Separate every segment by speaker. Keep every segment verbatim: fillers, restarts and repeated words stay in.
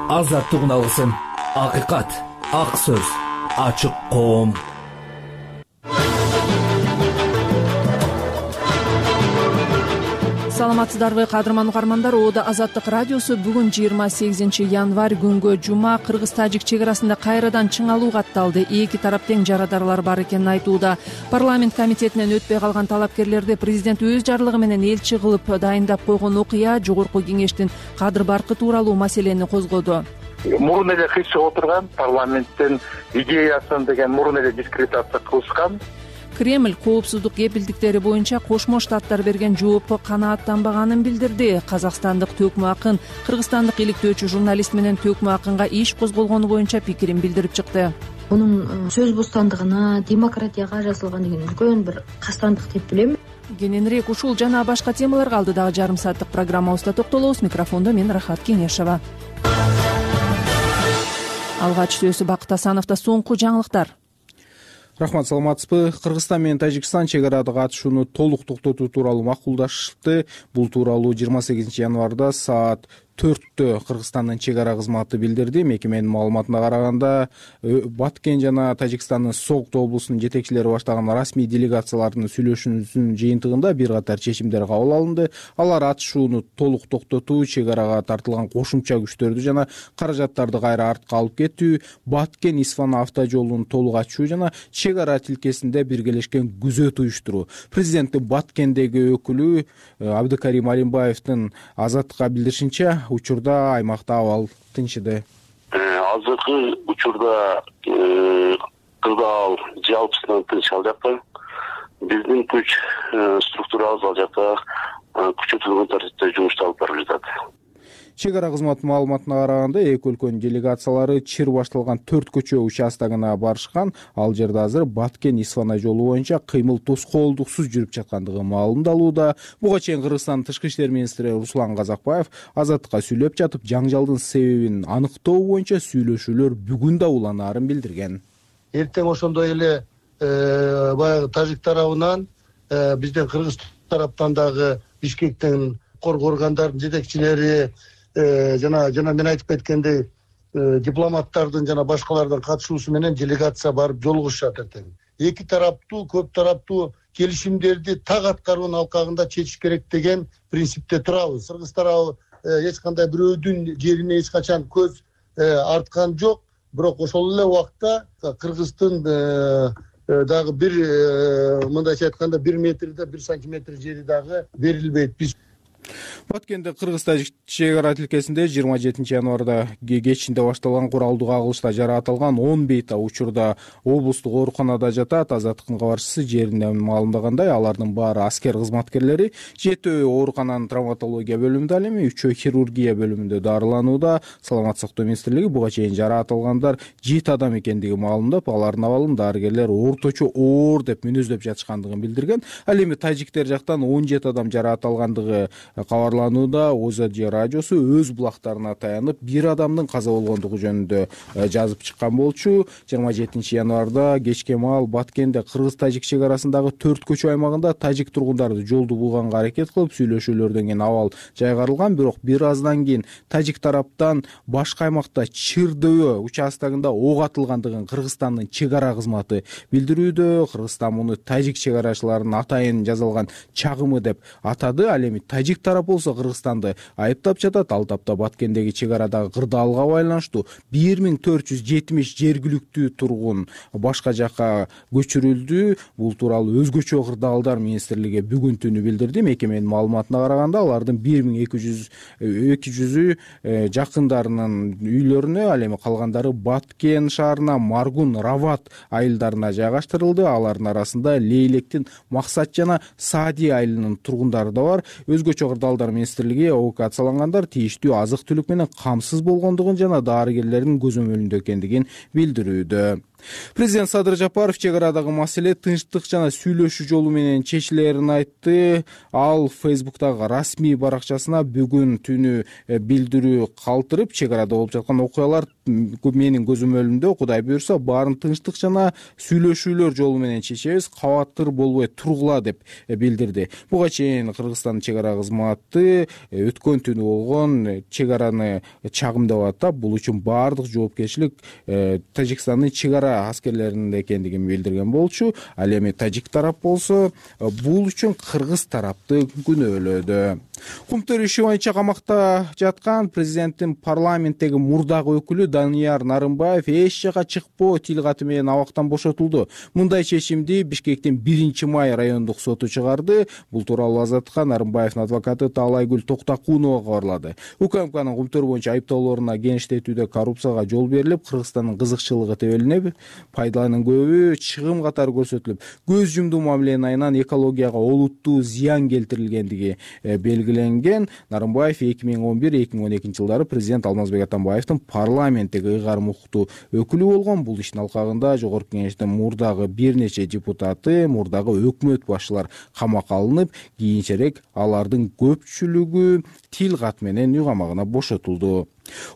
Speaker 1: азаттык алгысың, акыйкат, ак сөз, ачык коом.
Speaker 2: Саламатсыздарбы кадырман угармандар, Ода Азаттык радиосу бүгүн жыйырма сегизинчи январь күнгө жума Кыргыз-Тажик чек арасында кайрадан чыңалуу катталды. Эки тарап тең жарадарылар бар экенин айтууда. Парламент комитетинен өтпөй калган талапкерлерди президент өз жарлыгы менен элчи кылып дайындап койгон окуя Жогорку Кеңештин кадыр баркы тууралуу маселени козгоду.
Speaker 3: Мурун эле кычып отурган парламенттин идеясын деген мурун эле дискредитация кылышкан.
Speaker 2: Кремль коопсуздук кепилдиктери боюнча Кошмо Штаттар берген жоопко канааттанбаганын билдирди. Казакстандык Төкмө Акын кыргызстандык иликтөөчү журналист менен Төкмө Акынга иш козголгону боюнча пикирин билдирип чыкты.
Speaker 4: Мунун сөз бостандыгына, демократияга жазылган деген үлкөн бир кастандык деп билем.
Speaker 2: Кененирээк ушул жана башка темаларга алдыдагы жарым сааттык программабызда токтолобуз. Микрофондо мен Рахат Кеңешова. Алгач сөзү Бакыт Асановдо. Соңку жаңылыктар.
Speaker 5: Рахмат, саламатсызбы? Кыргызстан менен Тажикстан чек арада катышууну толук токтотуу тууралуу макулдашты. Бул тууралуу жыйырма сегизинчи январда саат төрттө Кыргызстандын чек ара кызматы билдирди. Мекеменин маалыматына караганда, Баткен жана Тажикстандын Согд облусунун жетекчилери баштаган расмий делегациялардын сүйлөшүүсүнүн жыйынтыгында бир катар чечимдер кабыл алынды. Алар атышууну толук токтотуу, чек арага тартылган кошумча күчтөрдү жана каражаттарды кайра артка алып кетүү, Баткен Исфан автожолун толук ачуу жана чек ара тилкесинде биргелешкен күзөт уюштуруу. Президенттин Баткендеги өкүлү Абдыкарим Алимбаевдин Азаттыкка билдиришинче, учурда аймакта абал тынчыды.
Speaker 6: Азыркы учурда кырдаал жалпысынан тынч ал жакта. Биздин күч структурабыз ал жакта күчөтүлгөн тартипте жумушту алып барып жатат.
Speaker 5: Чек ара кызматынын маалыматына караганда, эки өлкөнүн делегациялары чыр башталган төрт көчө участогуна барышкан. Ал жерде азыр Баткен Исфана жолу боюнча кыймыл тоскоолдуксуз жүрүп жаткандыгы маалымдалууда. Буга чейин Кыргызстандын тышкы иштер министри Руслан Казакбаев Азаттыкка сүйлөп жатып, жаңжалдын себебин аныктоо боюнча сүйлөшүүлөр бүгүн да уланаарын билдирген.
Speaker 7: Эртең ошондой эле баягы тажик тарабынан бизден кыргыз тараптан дагы Бишкектен коргоо органдарынын жетекчилери жана жана мен айтып кеткендей дипломаттардын жана башкалардын катышуусу менен делегация барып жолугушат эртең. Эки тараптуу, көп тараптуу келишимдерди так аткаруунун алкагында чечиш керек деген принципте турабыз. Кыргыз тарабы эч кандай бирөөдүн жерине эч качан көз арткан жок, бирок ошол эле убакта Кыргыздын дагы бир мындайча айтканда бир метрде бир сантиметр жери дагы берилбейт. Биз
Speaker 5: Баткенде Кыргыз-Тажик чек ара тилкесинде жыйырма жетинчи январда кечинде башталган куралдуу кагылышта жаратылган он бейта учурда облустук ооруканада жатат. Азаттыктын кабарчысы жеринен маалымдагандай, алардын баары аскер кызматкерлери. Жетөө оорукананын травматология бөлүмүндө, ал эми үчөө хирургия бөлүмүндө дарыланууда. Саламаттык сактоо министрлиги буга чейин жаратылгандар жети адам экендиги маалымдап, алардын абалын дарыгерлер орточо оор деп мүнөздөп жатышкандыгын билдирген. Ал эми тажиктер жактан он жети адам жараат алгандыгы кабарланууда. Озодия радиосу өз булактарына таянып бир адамдын каза болгондугу жөнүндө жазып чыккан болчу. жыйырма жетинчи январда кечке маал Баткенде Кыргыз-Тажик чек арасындагы төрт көчө аймагында тажик тургундары жолду булганга аракет кылып, сүйлөшүүлөрдөн кийин абал жайгарылган. Бирок бир аздан кийин тажик тараптан башка аймакта Чырдөбө участогунда ок атылгандыгын Кыргызстандын чек ара кызматы билдирүүдө. Кыргызстан муну тажик чек арачыларынын атайын жасалган чагымы деп атады. Ал эми тажик тарап болсо Кыргызстанды айыптап жатат. Ал тапта Баткендеги чек арадагы кырдаалга байланыштуу бир миң төрт жүз жетимиш жергиликтүү тургун башка жакка көчүрүлдү. Бул тууралуу өзгөчө кырдаалдар министрлиги бүгүн түнү билдирди. Мекеменин маалыматына караганда, алардын бир миң эки жүзү жакындарынын үйлөрүнө, ал эми калгандары Баткен шаарына, Маргун, Рават айылдарына жайгаштырылды. Алардын арасында Лейлектин Максат жана Саади айылынын тургундары да бар. Өзгөчө кырдаалдар министрлиги эвакуациялангандар тийиштүү азык түлүк менен камсыз болгондугун жана дарыгерлердин көзөмөлүндө экендигин билдирүүдө. Президент Садыр Жапаров чек арадагы маселе тынчтык жана сүйлөшүү жолу менен чечилерин айтты. Ал Фейсбуктагы расмий баракчасына бүгүн түнү билдирүү калтырып, чек арада болуп жаткан окуялар менин көзөмөлүмдө Кудай буйрса баарын тынчтык жана сүйлөшүүлөр жолу менен чечебиз, кабаттыр болбой тургула деп билдирди. Буга чейин Кыргызстандын чек ара кызматы өткөн түнү болгон чек араны чагымдап атап, бул үчүн баардык жоопкерчилик Тажикстандын чек ара аскерлеринде экендигин билдирген болчу. Ал эми тажик тарап болсо бул үчүн кыргыз тарапты күнөөлөдү. Кумтөр иши боюнча камакта жаткан президенттин парламенттеги мурдагы өкүлү Данияр Нарымбаев эч жака чыкпоо тил каты менен абактан бошотулду. Мындай чечимди Бишкектин биринчи май райондук соту чыгарды. Бул тууралуу Азаттыкка Нарымбаевдин адвокаты Таалайгүл Токтакунова кабарлады. УКМКнын кумтөр боюнча айыптоолоруна кеңиштетүүдө коррупцияга жол берилип, Кыргызстандын кызыкчылыгы тебелинип, пайдаланын көбү чыгым катары көрсөтүлүп, көз жумдуу мамиленин айынан экологияга олуттуу зыян келтирилгендиги белгиленген. Нарымбаев эки миң он бир эки миң он экинчи жылдары президент Алмазбек Атамбаевдин парламенттеги ыйгарым укуктуу өкүлү болгон. Бул иштин алкагында Жогорку Кеңештин мурдагы бир нече депутаты, мурдагы өкмөт башчылар камакка алынып, кийинчерээк алардын көпчүлүгү тил кат менен үй камагына бошотулду.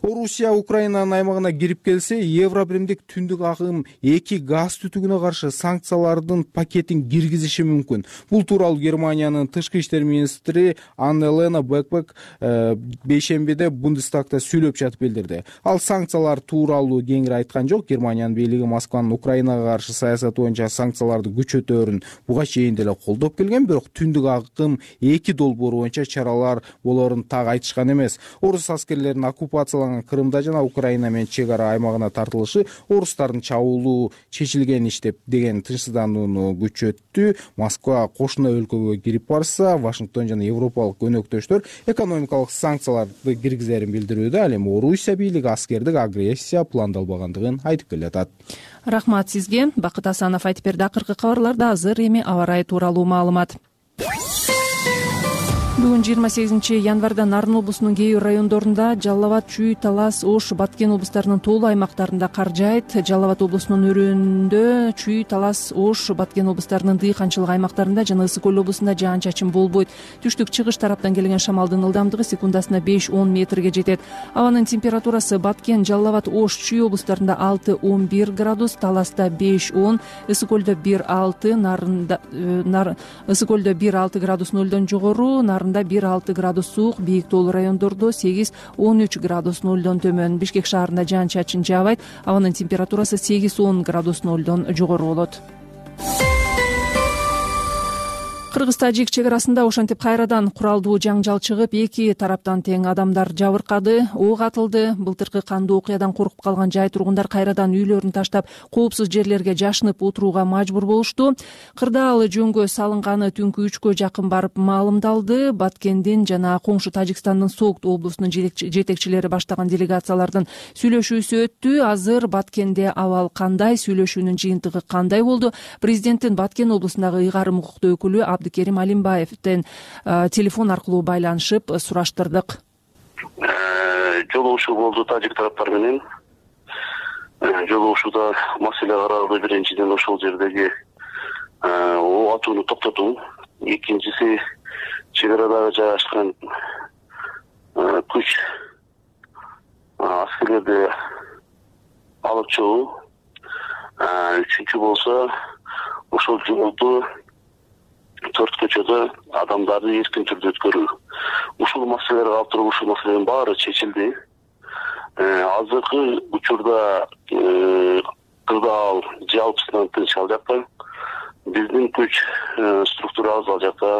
Speaker 5: Орусия Украинанын аймагына кирип келсе, Евробиримдик түндүк агым эки газ түтүгүнө каршы санкциялардын пакетин киргизиши мүмкүн. Бул тууралуу Германиянын тышкы иштер министри Анна-Лена Бекбек бейшембиде Бундестагда сүйлөп жатып билдирди. Ал санкциялар тууралуу кеңири айткан жок. Германиянын бийлиги Москванын Украинага каршы саясаты боюнча санкцияларды күчөтөөрүн буга чейин деле колдоп келген, бирок түндүк агым эки долбоору боюнча чаралар болоорун так айтышкан эмес. Орус аскерлеринин оккупация Крымда жана Украина менен чек ара аймагына тартылышы орустардын чабуулу чечилген иш деп деген тынчсызданууну күчөттү. Москва кошуна өлкөгө кирип барса, Вашингтон жана европалык өнөктөштөр экономикалык санкцияларды киргизерин билдирүүдө. Ал эми Орусия бийлиги аскердик агрессия пландалбагандыгын айтып келатат.
Speaker 2: Рахмат сизге. Бакыт Асанов айтып берди. Акыркы кабарларда азыр эми аба ырайы тууралуу маалымат. Бүгүн жыйырма сегизинчи январда Нарын облусунун кээ бир райондорунда Жалал абад, Чүй, Талас, Ош, Баткен облустарынын тоолуу аймактарында кар жаайт. Жалал абад облусунун өрөөндө, Чүй, Талас, Ош, Баткен облустарынын дыйканчылык аймактарында жана Ысык көл облусунда жаан-чачын болбойт. Түштүк-чыгыш тараптан келген шамалдын ылдамдыгы секундасына беш он метрге жетет. Абанын температурасы Баткен, Жалал абад, Ош, Чүй облустарында алты он бир градус, Таласта беш он, Ысык көлдө бир алты, Нарында Ысык көлдө бир алты градус нөлдөн жогору, Нарында бир алты градус суук, бийик тоолуу райондордо сегиз он үч градус нөлдөн төмөн. Бишкек шаарында жаан-чачын жаабайт. Абанын температурасы сегиз он градус нөлдөн жогору болот. Кыргыз-тажик чек арасында ошентип кайрадан куралдуу жаңжал чыгып, эки тараптан тең адамдар жабыркады, ок атылды. Былтыркы кандуу окуядан коркуп калган жай тургундар кайрадан үйлөрүн таштап, коопсуз жерлерге жашынып отурууга мажбур болушту. Кырдаал жөнгө салынганы түнкү үчкө жакын барып маалымдалды. Баткендин жана коңшу Тажикстандын Согд облусунун жетекчилери баштаган делегациялардын сүйлөшүүсү өттү. Азыр Баткенде абал кандай, сүйлөшүүнүн жыйынтыгы кандай болду? Президенттин Баткен облусундагы ыйгарым укуктуу өкүлү Абдыкерим Алимбаевден телефон аркылуу байланышып сураштырдык.
Speaker 6: Жолугушуу болду тажик тараптар менен. Жолугушууда маселе каралды. Биринчиден ошол жердеги ок атууну токтотуу, экинчиси чек арадагы жайгашкан күч аскерлерди алып чыгуу, үчүнчү болсо ошол жолду төрт көчөдө адамдарды эркин түрдө өткөрүү. Ушул маселелер калып туруп, ушул маселенин баары чечилди. Азыркы учурда Кырдаал жалпысынан тынч ал жакта, биздин күч структурабыз ал жакта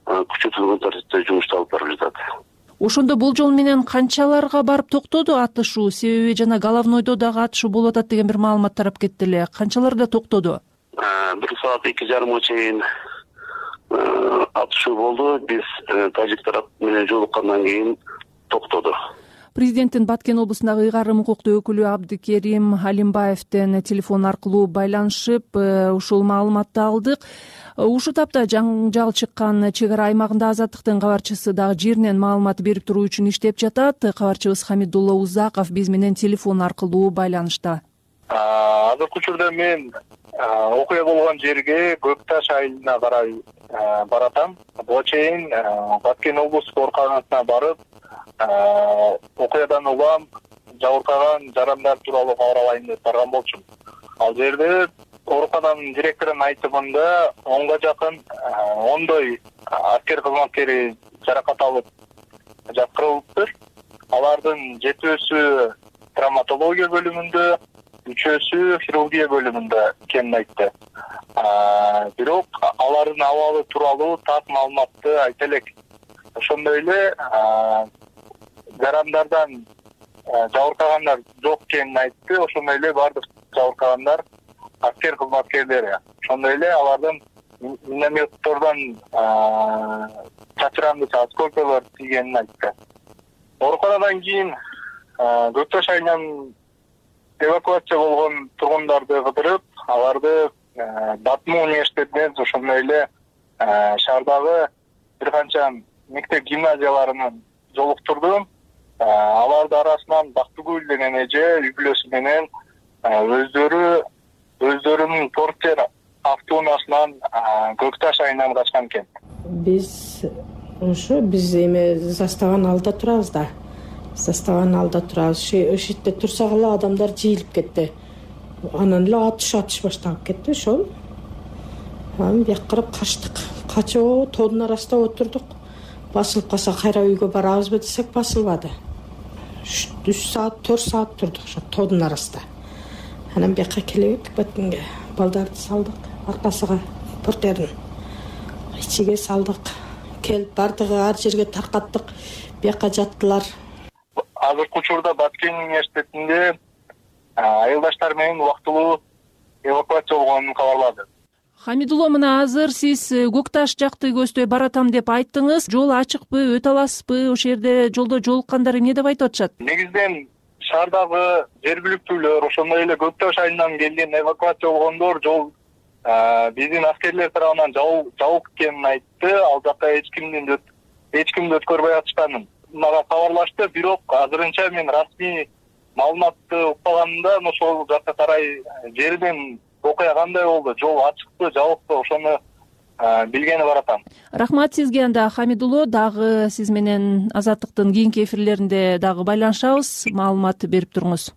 Speaker 6: күчөтүлгөн тартипте жумушту алып барып жатат.
Speaker 2: Ошондо бул жол менен канчаларга барып токтоду атышуу? Себеби жана Головнойдо дагы атышуу болуп атат деген бир маалымат тарап кетти эле. Канчаларда токтоду?
Speaker 6: Бир саат эки жарымга чейин атышуу болду. Биз тажик тарап менен жолуккандан кийин токтоду.
Speaker 2: Президенттин Баткен облусундагы ыйгарым укуктуу өкүлү Абдыкерим Алимбаевден телефон аркылуу байланышып ушул маалыматты алдык. Ушул тапта жаңжал чыккан чек ара аймагында Азаттыктын кабарчысы дагы жеринен маалымат берип туруу үчүн иштеп жатат. Кабарчыбыз Хамидулла Узаков биз менен телефон аркылуу байланышта.
Speaker 3: Азыркы учурда мен окуя болгон жерге Көк Таш айылына карай баратам. Буга чейин Баткен облустук ооруканасына барып, окуядан улам жабыркаган жарандар тууралуу кабар алайын деп барган болчумун. Ал жерде оорукананын директорунун айтымында онго жакын ондой аскер кызматкери жаракат алып жаткырылыптыр. Алардын жетөөсү травматология бөлүмүндө, үчөөсү хирургия бөлүмүндө экенин айтты. Бирок алардын абалы тууралуу так маалыматты айта элек. Ошондой эле жарандардан жабыркагандар жок экенин айтты. Ошондой эле бардык жабыркагандар аскер кызматкерлери. Ошондой эле алардын минометтордон чачырандык осколколор тийгенин айтты. Ооруканадан кийин Көк Таш айылынан эвакуация болгон тургундарды кыдырып, аларды Батму университетинен, ошондой эле шаардагы бир канча мектеп гимназияларынан жолуктурдум. Алардын арасынан Бактыгүл деген эже үй бүлөсү менен өздөрү өздөрүнүн портер автоунаасынан Көк Таш айылынан качкан экен.
Speaker 8: Биз ошо биз эме заставанын алдында турабыз да. Заставанын алдында турабыз. Ошо жерде турсак эле адамдар жыйылып кетти. Анан эле атыш атыш башталып кетти. Ошол анан бияка карап качтык. Качоо тоодун арасында отурдук. Басылып калса кайра үйгө барабызбы десек басылбады. үч саат, төрт саат турдук ошо тоодун арасында. Анан бияка келебек Баткенге балдарды салдык, аркасыга портердин ичиге салдык. Келип бардыгы ар жерге таркаттык. Бияка жаттылар.
Speaker 3: Азыркы учурда Баткен университетинде айылдаштар менен убактылуу эвакуация болгонун кабарлады.
Speaker 2: Хамидулло, мына азыр сиз Көк Таш жакты көздөй баратам деп айттыңыз. Жол ачыкпы, өтө аласызбы? Ошол жерде жолдо жолуккандар эмне деп айтып атышат?
Speaker 3: Негизинен шаардагы жергиликтүүлөр, ошондой эле Көк Таш айылынан келген эвакуация болгондор жол биздин аскерлер тарабынан жабык экенин айтты. Ал жакка эч кимдин эч кимди өткөрбөй атышканын мага кабарлашты. Бирок азырынча мен расмий маалыматты укпаганымда ошол жакка карай жерден окуя кандай болду, жол ачыкпы, жабыкпы, ошону билгени баратам.
Speaker 2: Рахмат сизге. Анда Хамидулло, дагы сиз менен Азаттыктын кийинки эфирлеринде дагы байланышабыз. Маалымат берип туруңуз.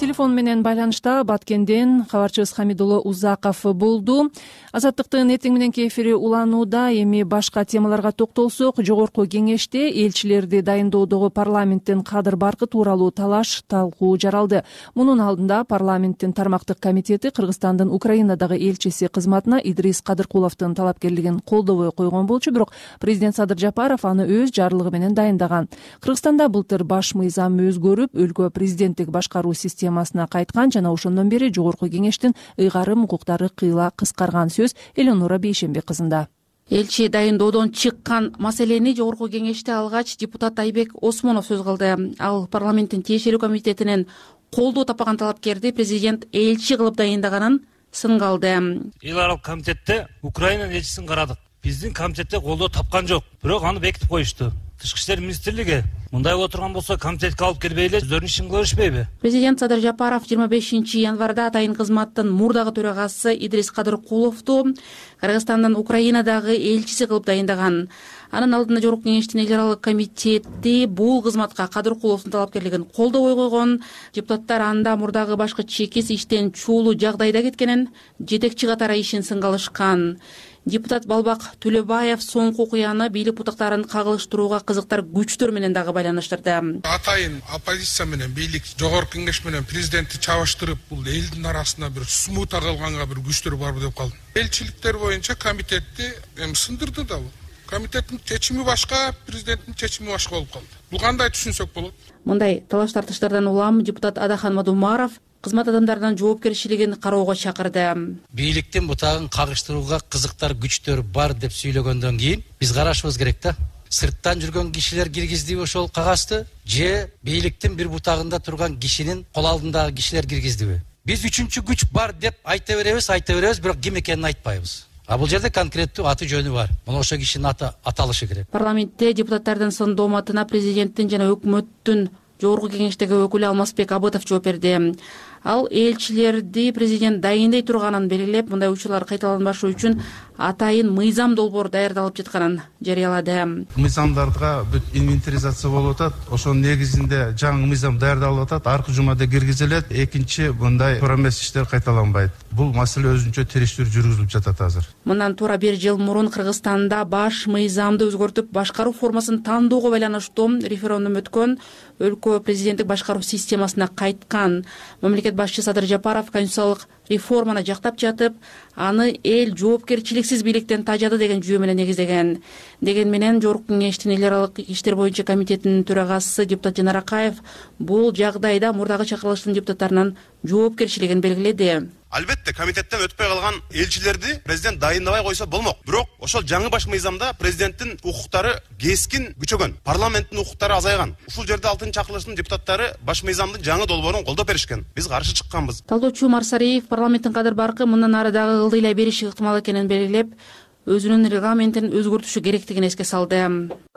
Speaker 2: Телефон менен байланышта Баткенден кабарчыбыз Хамидулло Узаков болду. Азаттыктын эртең мененки эфири уланууда. Эми башка темаларга токтолсок, жогорку кеңеште элчилерди дайындоодогу парламенттин кадыр баркы тууралуу талаш талкуу жаралды. Мунун алдында парламенттин тармактык комитети Кыргызстандын Украинадагы элчиси кызматына Идрис Кадыркуловдун талапкерлигин колдобой койгон болчу, бирок президент Садыр Жапаров аны өз жарлыгы менен дайындаган. Кыргызстанда былтыр баш мыйзам өзгөрүп, өлкө президенттик башкаруу системасына кайткан жана ошондон бери жогорку кеңештин ыйгарым укуктары кыйла кыскарган. Сөз Эленора Бейшембек кызында.
Speaker 9: Элчи дайындоодон чыккан маселени жогорку кеңеште алгач депутат Айбек Осмонов сөз кылды. Ал парламенттин тиешелүү комитетинен колдоо таппаган талапкерди президент элчи кылып дайындаганын сынга алды.
Speaker 10: Эл аралык комитетте Украина элчисин карадык. Биздин комитетте колдоо тапкан жок. Бирок аны бекитип коюшту. Тышкы иштер министрлиги мындай боло турган болсо комитетке алып келбей эле өздөрүнүн ишин кыла беришпейби?
Speaker 9: Президент Садыр Жапаров жыйырма бешинчи январда атайын кызматтын мурдагы төрагасы Идрис Кадыркуловду Кыргызстандын Украинадагы элчиси кылып дайындаган. Анын алдында жогорку кеңештин эл аралык комитети бул кызматка Кадыркуловдун талапкерлигин колдобой койгон. Депутаттар анда мурдагы башкы чекис иштен чуулуу жагдайда кеткенин, жетекчи катары ишин сынга алышкан. Депутат Балбак Төлөбаев соңку окуяны бийлик бутактарын кагылыштырууга кызыктар күчтөр менен дагы байланыштырды.
Speaker 11: Атайын оппозиция менен бийлик жогорку кеңеш менен президентти чабыштырып, бул элдин арасында бир смута кылганга бир күчтөр барбы деп калдым. Элчиликтер боюнча комитетти эми сындырды да бул. Комитеттин чечими башка, президенттин чечими башка болуп калды. Бул кандай түшүнсөк болот?
Speaker 9: Мындай талаш тартыштардан улам депутат Адахан Мадумаров кызмат адамдарынын жоопкерчилигин кароого чакырды.
Speaker 12: Бийликтин бутагын кагыштырууга кызыктар күчтөр бар деп сүйлөгөндөн кийин биз карашыбыз керек да. Сырттан жүргөн кишилер киргиздиби ошол кагазды, же бийликтин бир бутагында турган кишинин кол алдындагы кишилер киргиздиби? Биз үчүнчү күч бар деп айта беребиз, айта беребиз, бирок ким экенин айтпайбыз. А бул жерде конкреттүү аты жөнү бар. Мына ошол кишинин аты аталышы керек.
Speaker 9: Парламентте депутаттардын сын дооматына президенттин жана өкмөттүн Жогорку кеңештеги өкүлү Алмазбек Абытов жооп берди. Ал элчилерди президент дайындай турганын белгилеп, мындай учурлар кайталанбашы үчүн атайын мыйзам долбоор даярдалып жатканын жарыялады.
Speaker 13: Мыйзамдарга бүт инвентаризация болуп атат. Ошонун негизинде жаңы мыйзам даярдалып атат. Аркы жумада киргизилет. Экинчи, мындай туура эмес иштер кайталанбайт. Бул маселе өзүнчө териштирүү жүргүзүлүп жатат азыр.
Speaker 9: Мындан туура бир жыл мурун Кыргызстанда баш мыйзамды өзгөртүп, башкаруу формасын тандоого байланыштуу референдум өткөн, өлкө президенттик башкаруу системасына кайткан. Мамлекет башчысы Садыр Жапаров конституциялык реформаны жактап жатып, аны эл жоопкерчиликсиз бийликтен тажады деген жүйө менен негиздеген. Деген менен Жогорку кеңештин эл аралык иштер боюнча комитетинин төрагасы депутат Жанар Акаев бул жагдайда мурдагы чакырылыштын депутаттарынын жоопкерчилигин белгиледи.
Speaker 14: Албетте комитеттен өтпөй калган элчилерди президент дайындабай койсо болмок. Бирок ошол жаңы баш мыйзамда президенттин укуктары кескин күчөгөн, парламенттин укуктары азайган. Ушул жерде алтынчы чакырылыштын депутаттары баш мыйзамдын жаңы долбоорун колдоп беришкен. Биз каршы чыкканбыз.
Speaker 9: Талдоочу Марсариев парламенттин кадыр баркы мындан ары дагы ылдыйлай бериши ыктымал экенин белгилеп, өзүнүн регламентин өзгөртүшү керектигин эске салды.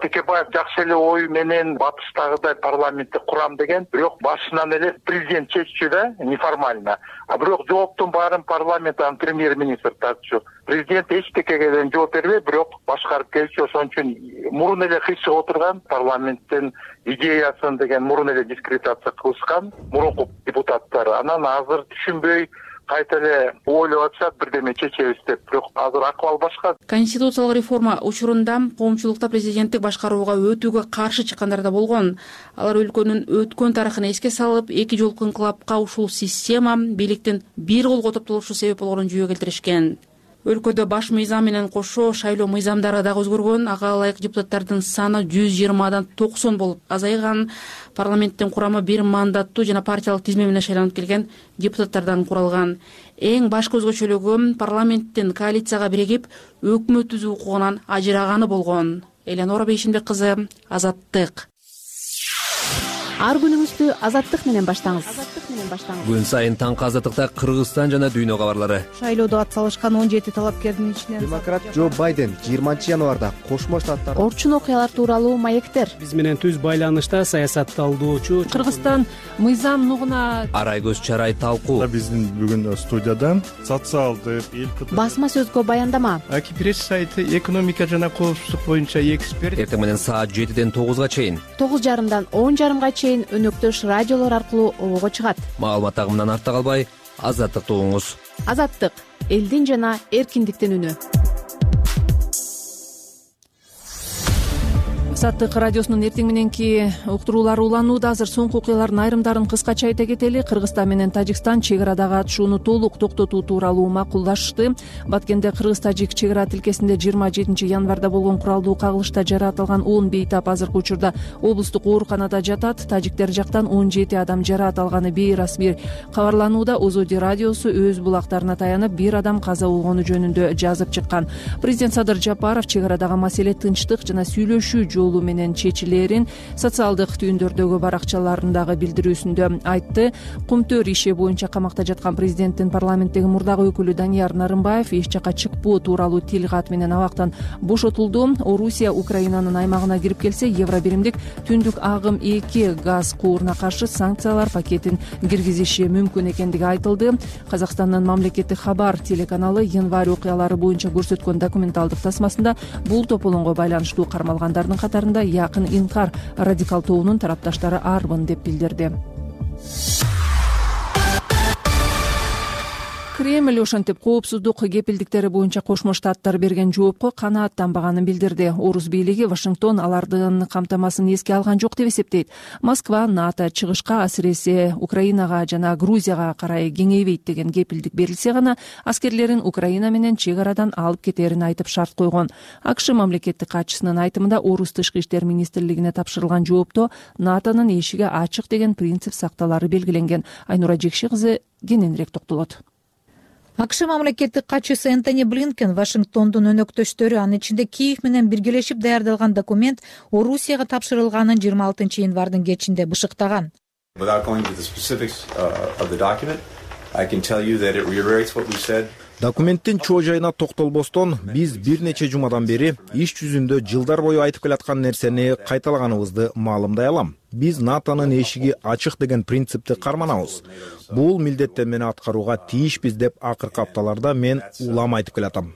Speaker 15: Текебаев жакшы эле ой менен батыштагыдай парламентти курам деген, бирок башынан эле президент чеччү да, неформально. А бирок жооптун баарын парламенттен премьер-министр тартчу. Президент эчтекеге жооп бербей, бирок башкарып келчү. Ошон үчүн мурун эле кыйшык отурган парламенттин идеясын деген мурун эле дискредитация кылышкан мурунку депутаттар. Анан азыр түшүнбөй кайта эле ойлоп атышат, бирдеме чечебиз деп. Бирок азыр акыбал башка.
Speaker 9: Конституциялык реформа учурунда коомчулукта президенттик башкарууга өтүүгө каршы чыккандар да болгон. Алар өлкөнүн өткөн тарыхын эске салып, эки жолку инкылапка ушул система бийликтин бир колго топтолушу себеп болгонун жүйө келтиришкен. Өлкөдө баш мыйзам менен кошо шайлоо мыйзамдары дагы өзгөргөн. Ага ылайык депутаттардын саны жүз жыйырмадан токсон болуп азайган. Парламенттин курамы бир мандаттуу жана партиялык тизме менен шайланып келген депутаттардан куралган. Эң башкы өзгөчөлүгү парламенттин коалицияга биригип өкмөт түзүү укугунан ажыраганы болгон. Эленора Бейшенбек кызы, Азаттык.
Speaker 16: Ар күнүңүздү Азаттык менен баштаңыз.
Speaker 1: Күн сайын таңкы Азаттыкта Кыргызстан жана дүйнө кабарлары.
Speaker 17: Шайлоодо ат салышкан он жети талапкердин ичинен
Speaker 18: демократ Джо Байден жыйырманчы январда Кошмо Штаттар
Speaker 16: орчун окуялар тууралуу маектер.
Speaker 19: Биз менен түз байланышта саясатталдоочу
Speaker 2: Кыргызстан мыйзам нугуна
Speaker 1: Арайгөз Чарай талкуу.
Speaker 20: Биздин бүгүн студияда социалдык эл
Speaker 16: басма сөзгө баяндама.
Speaker 21: Аки пресс сайты экономика жана коопсуздук боюнча эксперт.
Speaker 1: Эртең менен саат жетиден тогузга чейин,
Speaker 16: тогуз жарымдан он жарымга чейин өнөктөш радиолор аркылуу обого чыгат.
Speaker 1: Маалымат агымынан артта калбай, Азаттыкты угуңуз.
Speaker 16: Азаттык — элдин жана эркиндиктин үнү.
Speaker 2: Азаттык радиосунун эртең мененки уктуруулары уланууда. Азыр соңку окуялардын айрымдарын кыскача айта кетели. Кыргызстан менен Тажикстан чек арадагы атышууну толук токтотуу тууралуу макулдашты. Баткенде Кыргыз-Тажик чек ара тилкесинде жыйырма жетинчи январда болгон куралдуу кагылышта жаратылган он бейтап азыркы учурда облустук ооруканада жатат. Тажиктер жактан он жети адам жараат алганы бейрасмий кабарланууда. Озоди радиосу өз булактарына таянып бир адам каза болгону жөнүндө жазып чыккан. Президент Садыр Жапаров чек арадагы маселе тынчтык жана сүйлөшүү жолу менен чечилерин социалдык түйүндөрдөгү баракчаларындагы билдирүүсүндө айтты. Кумтөр иши боюнча камакта жаткан президенттин парламенттеги мурдагы өкүлү Данияр Нарымбаев эч жакка чыкпоо тууралуу тил кат менен абактан бошотулду. Орусия Украинанын аймагына кирип келсе, евро биримдик түндүк агым эки газ кууруна каршы санкциялар пакетин киргизиши мүмкүн экендиги айтылды. Казакстандын мамлекеттик Хабар телеканалы январь окуялары боюнча көрсөткөн документалдык тасмасында бул тополоңго байланыштуу кармалгандардын катарында якын инкар радикал тобунун тарапташтары арбын деп билдирди. Кремль ошентип коопсуздук кепилдиктери боюнча Кошмо Штаттар берген жоопко канааттанбаганын билдирди. Орус бийлиги Вашингтон алардын камтамасын эске алган жок деп эсептейт. Москва НАТО чыгышка, асиресе Украинага жана Грузияга карай кеңейбейт деген кепилдик берилсе гана аскерлерин Украина менен чек арадан алып кетерин айтып шарт койгон. АКШ мамлекеттик катчысынын айтымында Орус тышкы иштер министрлигине тапшырылган жоопто НАТОнун эшиги ачык деген принцип сакталары белгиленген. Айнура Жекши кызы кененирээк токтолот.
Speaker 17: АКШ мамлекеттик катчысы Энтони Блинкен Вашингтондун өнөктөштөрү, анын ичинде Киев менен биргелешип даярдалган документ Орусияга тапшырылганын жыйырма алтынчы январдын кечинде бышыктаган.
Speaker 4: Документтин чоо жайына токтолбостон биз бир нече жумадан бери иш жүзүндө жылдар бою айтып келаткан нерсени кайталаганыбызды маалымдай алам. Биз НАТОнун эшиги ачык деген принципти карманабыз. Бул милдеттенмени аткарууга тийишпиз деп акыркы апталарда мен улам айтып келатам.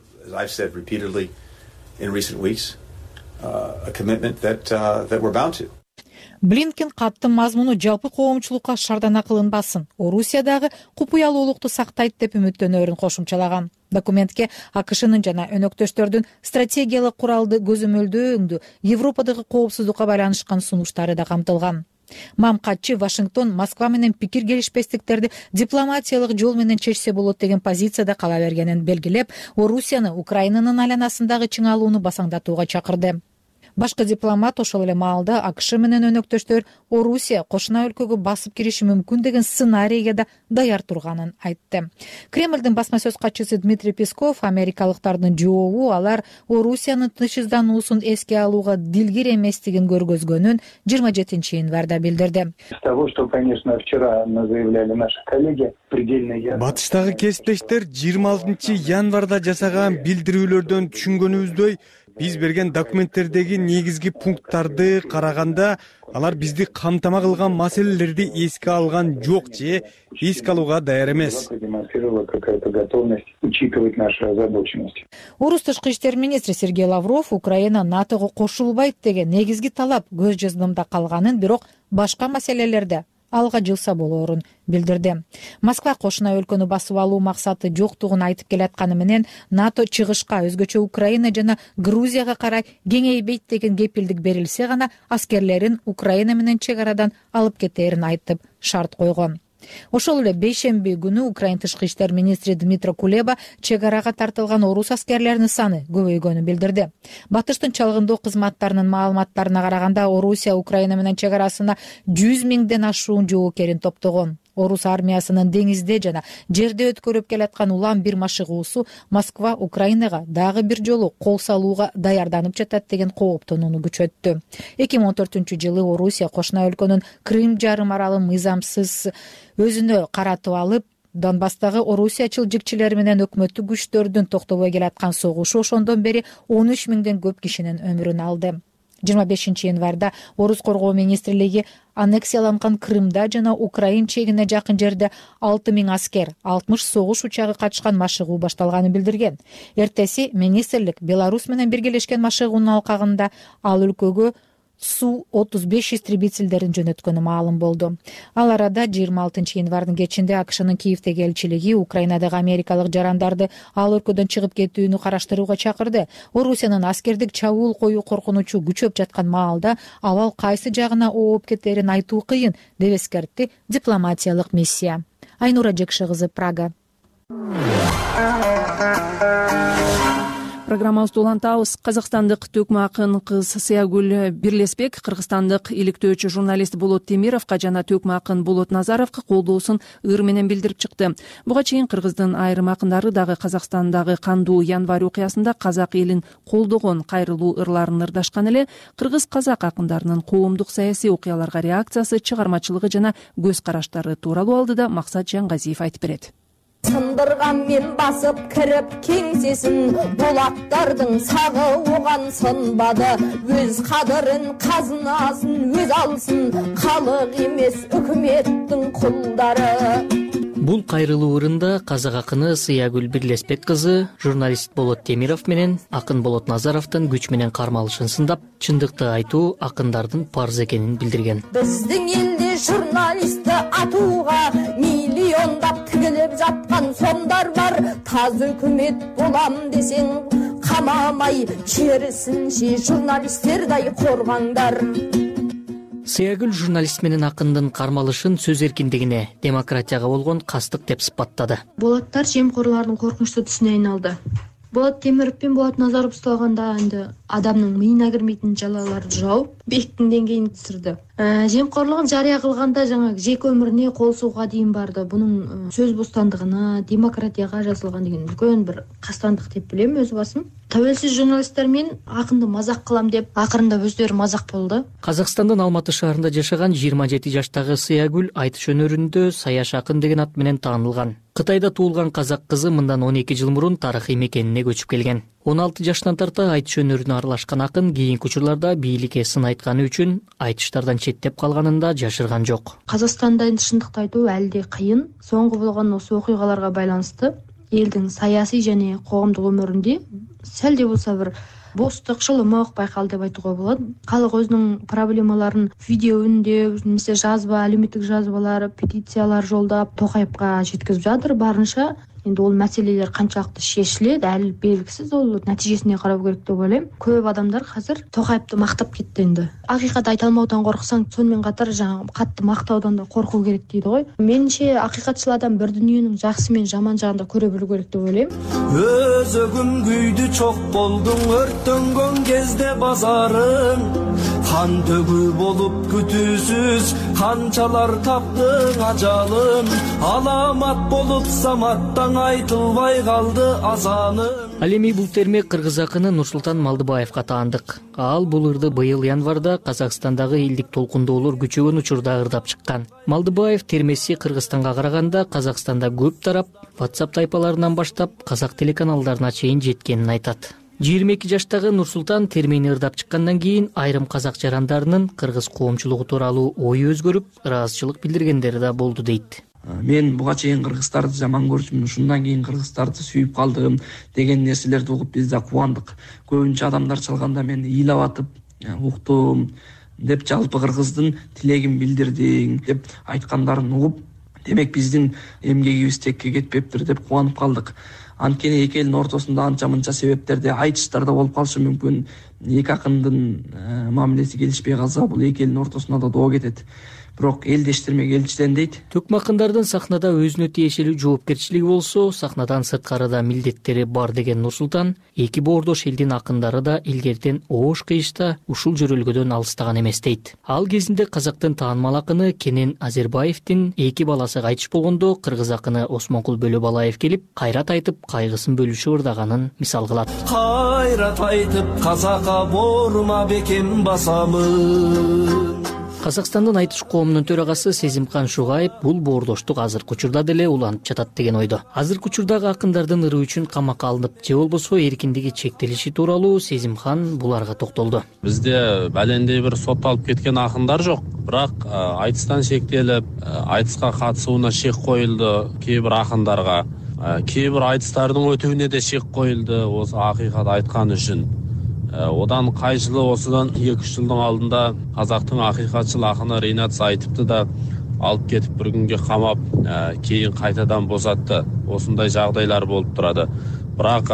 Speaker 17: Блинкен каттын мазмуну жалпы коомчулукка шардана кылынбасын, Орусиядагы купуялуулукту сактайт деп үмүттөнөрүн кошумчалаган. Документке АКШнын жана өнөктөштөрдүн стратегиялык куралды көзөмөлдөөңдү Европадагы коопсуздукка байланышкан сунуштары да камтылган. Мамкатчы Вашингтон Москва менен пикир келишпестиктерди дипломатиялык жол менен чечсе болот деген позицияда кала бергенин белгилеп, Орусияны Украинанын айланасындагы чыңалууну басаңдатууга чакырды. Башкы дипломат ошол эле маалда АКШ менен өнөктөштөр Орусия кошуна өлкөгө басып кириши мүмкүн деген сценарийге да даяр турганын айтты. Кремлдин басма сөз катчысы Дмитрий Песков америкалыктардын жообу алар Орусиянын тынчсыздануусун эске алууга дилгир эместигин көргөзгөнүн жыйырма жетинчи январда билдирди.
Speaker 21: Батыштагы кесиптештер жыйырма алтынчы январда жасаган билдирүүлөрдөн түшүнгөнүбүздөй, биз берген документтердеги негизги пункттарды караганда алар бизди камтама кылган маселелерди эске алган жок же эске алууга даяр эмес.
Speaker 17: Орус тышкы иштер министри Сергей Лавров Украина НАТОго кошулбайт деген негизги талап көз жаздымда калганын, бирок башка маселелерде алга жылса болоорун билдирди. Москва кошуна өлкөнү басып алуу максаты жоктугун айтып келатканы менен НАТО чыгышка өзгөчө Украина жана Грузияга карай кеңейбейт деген кепилдик берилсе гана аскерлерин Украина менен чек арадан алып кетээрин айтып шарт койгон. Ошол эле бейшемби күнү Украина тышкы иштер министри Дмитро Кулеба чек арага тартылган орус аскерлеринин саны көбөйгөнүн билдирди. Батыштын чалгындоо кызматтарынын маалыматтарына караганда Орусия Украина менен чек арасына жүз миңден ашуун жоокерин топтогон. Орус армиясынын деңизде жана жерде өткөрүп келаткан улам бир машыгуусу Москва Украинага дагы бир жолу кол салууга даярданып жатат деген кооптонууну күчөттү. эки миң он төртүнчү жылы Орусия кошуна өлкөнүн Крым жарым аралын мыйзамсыз өзүнө каратып алып, Донбасстагы орусиячыл жикчилери менен өкмөттүк күчтөрдүн токтобой келаткан согушу ошондон бери он үч миңден көп кишинин өмүрүн алды. жыйырма бешинчи январда Орус коргоо министрлиги аннексияланган Крымда жана Украин чегине жакын жерде алты миң аскер, алтымыш согуш учагы катышкан машыгуу башталганын билдирген. Эртеси министрлик Беларусь менен биргелешкен машыгуунун алкагында ал өлкөгө Су отуз беш истребительдерин жөнөткөнү маалым болду. Ал арада жыйырма алтынчы январдын кечинде АКШнын Киевдеги элчилиги Украинадагы америкалык жарандарды ал өлкөдөн чыгып кетүүнү караштырууга чакырды. Орусиянын аскердик чабуул коюу коркунучу күчөп жаткан маалда абал кайсы жагына ооп кетерин айтуу кыйын деп эскертти дипломатиялык миссия. Айнура Жекши кызы, Прага.
Speaker 2: Программабызды улантабыз. Казакстандык төкмө акын кыз Сыягүл Бирлесбек кыргызстандык иликтөөчү журналист Болот Темировго жана төкмө акын Болот Назаровго колдоосун ыр менен билдирип чыкты. Буга чейин кыргыздын айрым акындары дагы Казакстандагы кандуу январь окуясында казак элин колдогон кайрылуу ырларын ырдашкан эле. Кыргыз-казак акындарынын коомдук саясий окуяларга реакциясы, чыгармачылыгы жана көз караштары тууралуу алдыда Максат Жангазиев айтып берет.
Speaker 22: Сындырган мен басып кирип кеңсесин, болаттардын сагы оған сынбады. Өз кадырын, казынасын өз алсын, калык эмес өкмөттүн кулдары.
Speaker 23: Бул кайрылуу ырында казак акыны Сыягүл Бирлесбек кызы журналист Болот Темиров менен акын Болот Назаровдун күч менен кармалышын сындап, чындыкты айтуу акындардын парыз экенин билдирген.
Speaker 22: Биздин элде журналистти атууга миллиондап тигилип жаткан сомдар бар. Таз өкмөт болам десең камамай, керисинче журналисттердей коргаңдар.
Speaker 23: Сыягүл журналист менен акындын кармалышын сөз эркиндигине, демократияга болгон кастык деп сыпаттады.
Speaker 24: Болоттар жемкорлордун коркунучтуу түсүнө айналды. Болот Темиров менен Болот Назаров ушталганда энди адамдын мыйына кирмейтин жалаларды жауп, бектин деңгейин түзүрдү. Жемкорлугун жарыя кылганда жаңы жеке өмүрүнө кол сууга дейин барды. Бунун сөз бостандыгына, демократияга жазылган деген үлкөн бир кастандык деп билем өз басым. Тәуелсиз журналисттер мен акынды мазак кылам деп акырында өздөрү мазак болду.
Speaker 23: Казакстандын Алматы шаарында жашаган жыйырма жети жаштагы Сыягүл айтыш өнөрүндө Саяш акын деген ат менен таанылган. Кытайда туулган казак кызы мындан он эки жыл мурун тарыхый мекенине көчүп келген. он алты жаштан тарта айтыш өнөрүнө аралашкан акын кийинки учурларда бийликке сын айтканы үчүн айтыштардан четтеп калганын да жашырган жок.
Speaker 24: Казакстанда чындыкты айтуу әлі де кыйын. Соңку болгон осы окуйгаларга байланыштуу элдин саясий жана коомдук өмүрүндө сәл де болсо бир бостук, шылымок байкалды деп айтууга болот. Калк өзүнүн проблемаларын видео үндө, немесе жазба, алюмиттик жазбалар, петициялар жолдоп Токаевга жеткизип жатыр барынча. Эndi ол маселелер канчалыкты шешилет, әлі белгисиз, ол натижесине карап керек деп ойлойм. Көп адамдар азыр Токаевди мактап кетти энди. Акыйкат айта алмаудан корксаң, сонун катар жаңы катты мактаудан да коркуу керек дейди го. Менимче акыйкатчыл адам бир дүнүйөнүн жакшы менен жаман жагын да көрө билүү керек деп ойлойм.
Speaker 1: Өзөгүм күйдү чок болдуң, өрттөнгөн кезде базарың, кан төгүү болуп күтүүсүз канчалар таптың ажалын, аламат болуп саматтан айтылбай калды азанын.
Speaker 23: Ал эми бул терме кыргыз акыны Нурсултан Малдыбаевга таандык. Ал бул ырды быйыл январда Казакстандагы элдик толкундоолор күчөгөн учурда ырдап чыккан. Малдыбаев термеси Кыргызстанга караганда Казакстанда көп тарап, WhatsApp тайпаларынан баштап казак телеканалдарына чейин жеткенин айтат. жыйырма эки жаштагы Нурсултан термени ырдап чыккандан кийин айрым казак жарандарынын кыргыз коомчулугу тууралуу ою өзгөрүп, ыраазычылык билдиргендери да болду дейт.
Speaker 5: Мен буга чейин кыргыздарды жаман көрчүмүн, ушундан кийин кыргыздарды сүйүп калдым деген нерселерди угуп биз да кубандык. Көбүнчө адамдар чалганда мен ыйлап атып уктум деп, жалпы кыргыздын тилегин билдирдиң деп айткандарын угуп, демек биздин эмгегибиз текке кетпептир деп кубанып калдык. Анткени эки элдин ортосунда анча мынча себептерде айтыштарда болуп калышы мүмкүн. Эки акындын мамилеси келишпей калса, бул эки элдин ортосуна да доо кетет. Бирок элдештерме келчиден дейт.
Speaker 23: Төкмө акындардын сахнада өзүнө тиешелүү жоопкерчилиги болсо, сахнадан сырткары да милдеттери бар деген Нурсултан, эки боордош элдин акындары да илгертен оош кыйышта ушул жөрөлгөдөн алыстаган эмес дейт. Ал кезинде казактын таанымал акыны Кенен Азербаевдин эки баласы кайтыш болгондо, кыргыз акыны Осмонкул Бөлөбалаев келип, кайрат айтып, кайгысын бөлүшүп ырдаганын мисал кылат.
Speaker 1: Кайрат айтып, казакка борма бекем басамын.
Speaker 23: Казакстандын айтыш коомунун төрагасы Сезимкан Шугаев бул боордоштук азыркы учурда деле уланып жатат деген ойдо. Азыркы учурдагы акындардын ыры үчүн камакка алынып, же болбосо эркиндиги чектелиши тууралуу Сезимкан буларга токтолду.
Speaker 6: Бизде балендей бир сотталып кеткен акындар жок, бирок айтыстан шектелип, айтыска катышууна шек коюлду кээ бир акындарга. Кээ бир айтыстардын өтүүнүнө да шек коюлду осы акыйкат айткан үчүн. Одан кай жылы осудан эки үч жылдын алдында казактын акыйкатчыл акыны Ринат Сайтипти да алып кетип бир күнгө камап, кийин кайтадан босатты. Осундай жагдайлар болуп турады. Бирок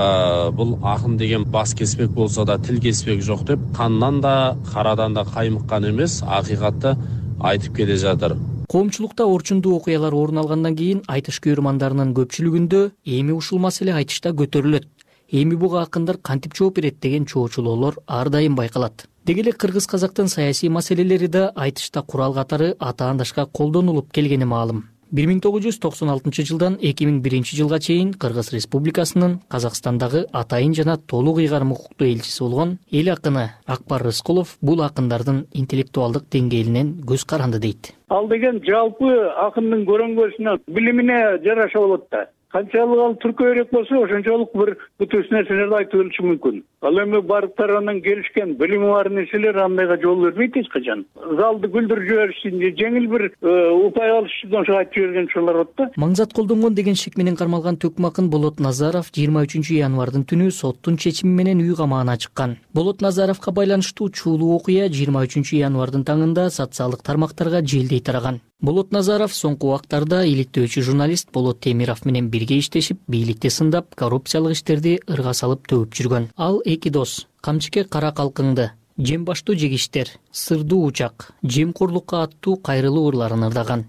Speaker 6: бул акын деген бас кеспек болсо да тил кеспек жок деп, кандан да карадан да каймыккан эмес, акыйкатты айтып келе жатыр.
Speaker 23: Коомчулукта орчундуу окуялар орун алгандан кийин айтыш көрөрмандарынын көпчүлүгүндө эми ушул маселе айтышта көтөрүлөт. Эми буга акындар кантип жооп берет деген чоочулоолор ар дайым байкалат. Деги эле кыргыз казактын саясий маселелери да айтышта курал катары атаандашка колдонулуп келгени маалым. бир миң тогуз жүз токсон алтынчы жылдан эки миң биринчи жылга чейин Кыргыз Республикасынын Казакстандагы атайын жана толук ыйгарым укуктуу элчиси болгон эл акыны Акбар Рыскулов бул акындардын интеллектуалдык деңгээлинен көз каранды дейт.
Speaker 7: Ал деген жалпы акындын көрөңгөсүнө, билимине жараша болот да. Канчалык ал түркөйрөк болсо, ошончолук бир бүтүс нерселерди айтып бериши мүмкүн. Ал эми барып таранан келишкен билими бар нерселер андайга жол бербейт эч качан. Залды күлдүрүп жиберишин, жеңил бир упай алыш үчүн ошо айтып жиберген учурлар болот да.
Speaker 23: Маңзат колдонгон деген шек менен кармалган төкмө акын Болот Назаров жыйырма үчүнчү январдын түнү соттун чечими менен үй камагына чыккан. Болот Назаровго байланыштуу чуулуу окуя жыйырма үчүнчү январдын таңында социалдык тармактарга желдей тараган. Болот Назаров соңку убактарда иликтөөчү журналист Болот Темиров менен бирге иштешип, бийликти сындап, коррупциялык иштерди ырга салып төгүп жүргөн. Ал эки дос Камчыке кара калкыңды, Жем баштуу жегиштер, Сырдуу учак, Жемкорлукка аттуу кайрылуу ырларын ырдаган.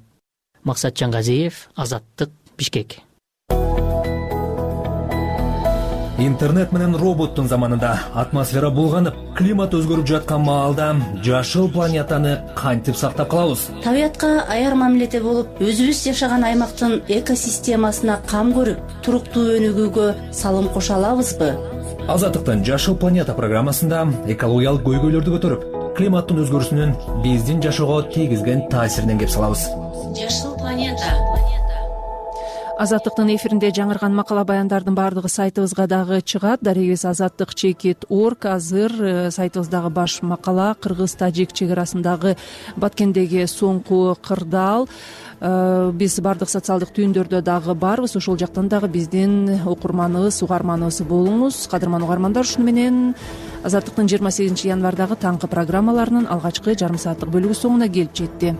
Speaker 23: Максатжан Газиев, Азаттык, Бишкек.
Speaker 1: Интернет менен роботтун заманында атмосфера булганып, климат өзгөрүп жаткан маалда жашыл планетаны кантип сактап калабыз?
Speaker 8: Табиятка аяр мамиледе болуп, өзүбүз жашаган аймактын экосистемасына кам көрүп, туруктуу өнүгүүгө салым кошо алабызбы?
Speaker 1: Азаттыктын Жашыл планета программасында экологиялык көйгөйлөрдү көтөрүп, климаттын өзгөрүүсүнүн биздин жашоого тийгизген таасиринен кеп салабыз.
Speaker 9: Жашыл планета.
Speaker 2: Азаттыктын эфиринде жаңырган макала баяндардын баардыгы сайтыбызга дагы чыгат. Дарегибиз азаттык чекит орг. Азыр сайтыбыздагы баш макала кыргыз-тажик чек арасындагы Баткендеги соңку кырдаал. Биз баардык социалдык түйүндөрдө дагы барбыз. Ошол жактан дагы биздин окурманыбыз, угарманыбыз болуңуз. Кадырман угармандар, ушуну менен Азаттыктын жыйырма сегизинчи январдагы таңкы программаларынын алгачкы жарым сааттык бөлүгү соңуна келип жетти.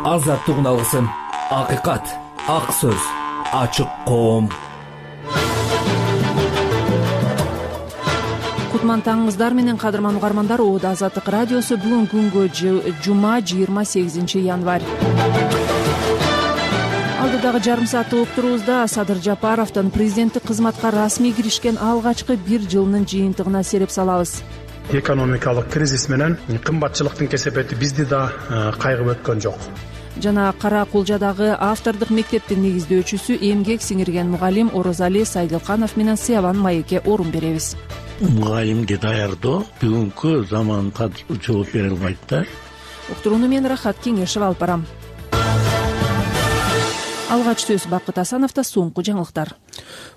Speaker 1: Азаттык алгысы, акыйкат, ак сөз, ачык коом.
Speaker 2: Кутман таңыңыздар менен кадырман угармандар, Оода Азаттык радиосу бүгүн күнгө жума жыйырма сегизинчи январь. Алдыдагы жарым сааттык уктуруубузда Садыр Жапаровдун президенттик кызматка расмий киришкен алгачкы бир жылынын жыйынтыгына сереп салабыз.
Speaker 3: Экономикалык кризис менен кымбатчылыктын кесепети бизди да кайгып өткөн жок.
Speaker 2: Жана Кара Кулжадагы автордук мектептин негиздөөчүсү, эмгек сиңирген мугалим Орозали Сайдылканов менен Сыябан маекке орун беребиз.
Speaker 10: Мугалимге даярдоо бүгүнкү заманга жооп бере албайт да.
Speaker 2: Уктурууну мен Рахат Кеңешев алып барам. Алгач сөз Бакыт Асановдо. Соңку жаңылыктар.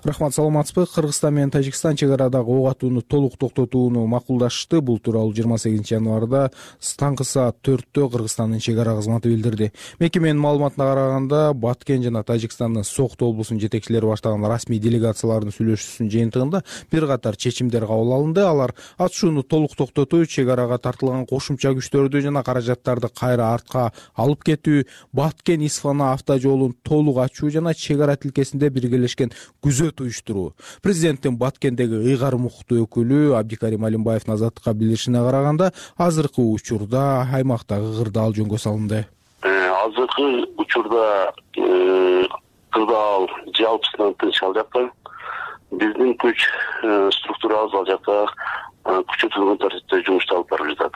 Speaker 4: Рахмат, саламатсызбы? Кыргызстан менен Тажикстан чек арадагы ок атууну толук токтотууну макулдашты. Бул тууралуу жыйырма сегизинчи январда таңкы саат төрттө Кыргызстандын чек ара кызматы билдирди. Мекеменин маалыматына караганда, Баткен жана Тажикстандын Сокто облусунун жетекчилери баштаган расмий делегациялардын сүйлөшүүсүнүн жыйынтыгында бир катар чечимдер кабыл алынды. Алар атышууну толук токтотуу, чек арага тартылган кошумча күчтөрдү жана каражаттарды кайра артка алып кетүү, Баткен-Исфана автожолун толук ачуу жана чек ара тилкесинде биргелешкен күзөт уюштуруу. Президенттин Баткендеги ыйгар мукуктуу өкүлү Абдикарим Алимбаевдин Азаттыкка билдиришине караганда, азыркы учурда аймактагы кырдаал жөнгө салынды.
Speaker 10: Азыркы учурда кырдаал жалпысынан тынч ал жакта. Биздин күч структурабыз ал жакта күчөтүлгөн тартипте жумушту алып барып жатат.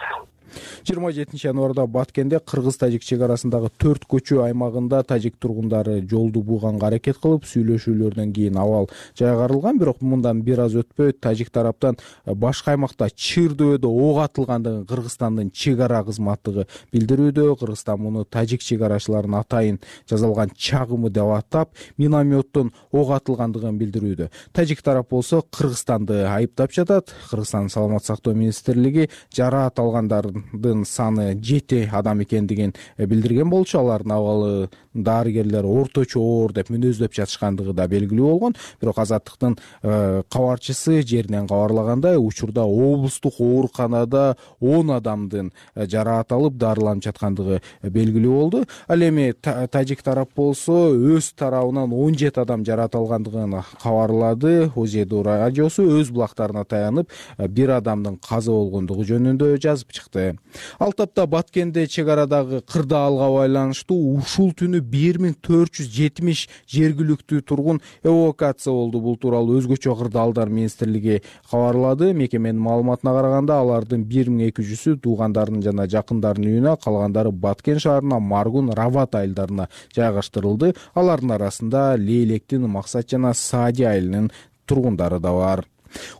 Speaker 4: жыйырма жетинчи январда Баткенде кыргыз-тажик чек арасындагы төрт көчө аймагында тажик тургундары жолду бууганга аракет кылып, сүйлөшүүлөрдөн кийин абал жайгарылган. Бирок мындан бир аз өтпөй тажик тараптан башка аймакта чыр дөбөдө ок атылгандыгын Кыргызстандын чек ара кызматы билдирүүдө. Кыргызстан муну тажик чек арачыларынын атайын жазалган чагымы деп атап, минометтон ок атылгандыгын билдирүүдө. Тажик тарап болсо Кыргызстанды айыптап жатат. Кыргызстандын саламаттык сактоо министрлиги жараат алгандардын саны жети адам экендигин билдирген болчу. Алардын абалы дарыгерлер орточо оор деп мүнөздөп жатышкандыгы да белгилүү болгон. Бирок Азаттыктын кабарчысы жеринен кабарлагандай, учурда облустук ооруканада он адамдын жараат алып дарыланып жаткандыгы белгилүү болду. Ал эми тажик тарап болсо өз тарабынан он жети адам жараат алгандыгын кабарлады. Озеду радиосу өз булактарына таянып, бир адамдын каза болгондугу жөнүндө жазып чыкты. Ал тапта Баткенде чек арадагы кырдаалга байланыштуу ушул түнү бир миң төрт жүз жетимиш жергиликтүү тургун эвакуация болду. Бул тууралуу өзгөчө кырдаалдар министрлиги кабарлады. Мекеменин маалыматына караганда, алардын бир миң эки жүзү туугандарынын жана жакындарынын үйүнө, калгандары Баткен шаарына, Маргун, Рават айылдарына жайгаштырылды. Алардын арасында Лейлектин, Максат жана Саади айылынын тургундары да бар.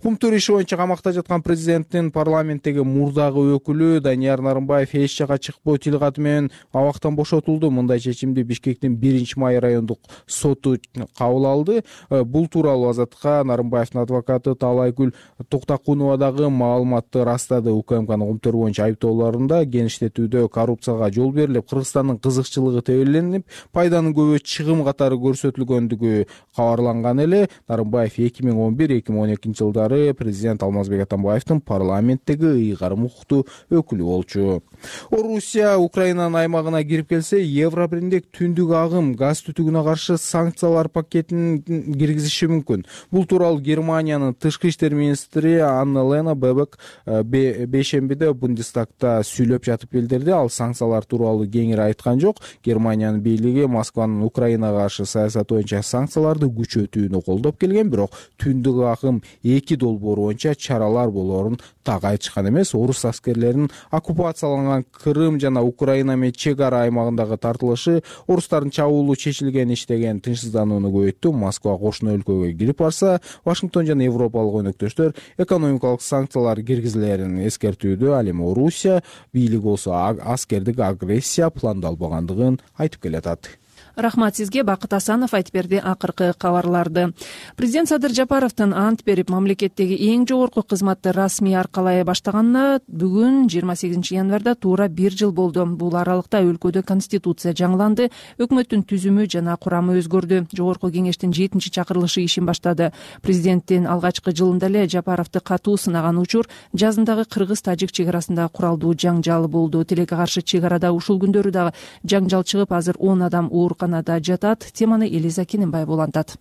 Speaker 4: Кумтур иши боюнча камакта жаткан президенттин парламенттеги мурдагы өкүлү Данияр Нарымбаев эч жака чыкпоо тил каты менен абактан бошотулду. Мындай чечимди Бишкектин биринчи май райондук соту кабыл алды. Бул тууралуу Азаттыкка Нарымбаевдин адвокаты Таалайгүл Токтакунова дагы маалыматты растады. УКМКнын Кумтур боюнча айыптоолорунда кеңиштетүүдө коррупцияга жол берилип, Кыргызстандын кызыкчылыгы тебеленип, пайданын көбү чыгым катары көрсөтүлгөндүгү кабарланган эле. Нарымбаев эки миң он бир эки миң он экинчи жылдары президент Алмазбек Атамбаевдин парламенттеги ыйгарым укуктуу өкүлү болчу. Орусия Украинанын аймагына кирип келсе, Евробиримдик түндүк агым газ түтүгүнө каршы санкциялар пакетин киргизиши мүмкүн. Бул тууралуу Германиянын тышкы иштер министри Анна-Лена Бебек бейшембиде Бундестагда сүйлөп жатып билдирди. Ал санкциялар тууралуу кеңири айткан жок. Германиянын бийлиги Москванын Украинага каршы саясаты боюнча санкцияларды күчөтүүнү колдоп келген, бирок түндүк агым эки долбоору боюнча чаралар болоорун так айтышкан эмес. Орус аскерлеринин оккупацияланган Крым жана Украина менен чек ара аймагындагы тартылышы орустардын чабуулу чечилген иш деген тынчсызданууну көбөйттү. Москва кошуна өлкөгө кирип барса, Вашингтон жана европалык өнөктөштөр экономикалык санкциялар киргизилерин эскертүүдө. Ал эми Орусия бийлиги болсо аскердик агрессия пландалбагандыгын айтып келатат.
Speaker 2: Рахмат сизге. Бакыт Асанов айтып берди акыркы кабарларды. Президент Садыр Жапаровдун ант берип мамлекеттеги эң жогорку кызматты расмий аркалай баштаганына бүгүн жыйырма сегизинчи январда туура бир жыл болду. Бул аралыкта өлкөдө конституция жаңыланды, өкмөттүн түзүмү жана курамы өзгөрдү. Жогорку кеңештин жетинчи чакырылышы ишин баштады. Президенттин алгачкы жылында эле Жапаровду катуу сынаган учур жазындагы кыргыз-тажик чек арасында куралдуу жаңжал болду. Тилекке каршы чек арада ушул күндөрү дагы жаңжал чыгып, азыр он адам оор Канада жатат. Теманы Элиза Кененбаева улантат.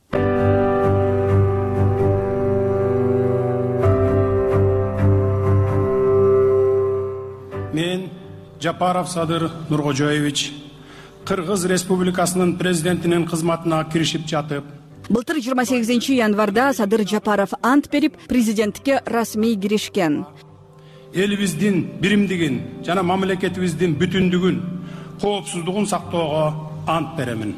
Speaker 3: Мен Жапаров Садыр Нуркожоевич Кыргыз Республикасынын президентинин кызматына киришип жатып,
Speaker 11: былтыр жыйырма сегизинчи январда Садыр Жапаров ант берип президенттикке расмий киришкен.
Speaker 3: Элибиздин биримдигин жана мамлекетибиздин бүтүндүгүн, коопсуздугун сактоого ант беремин.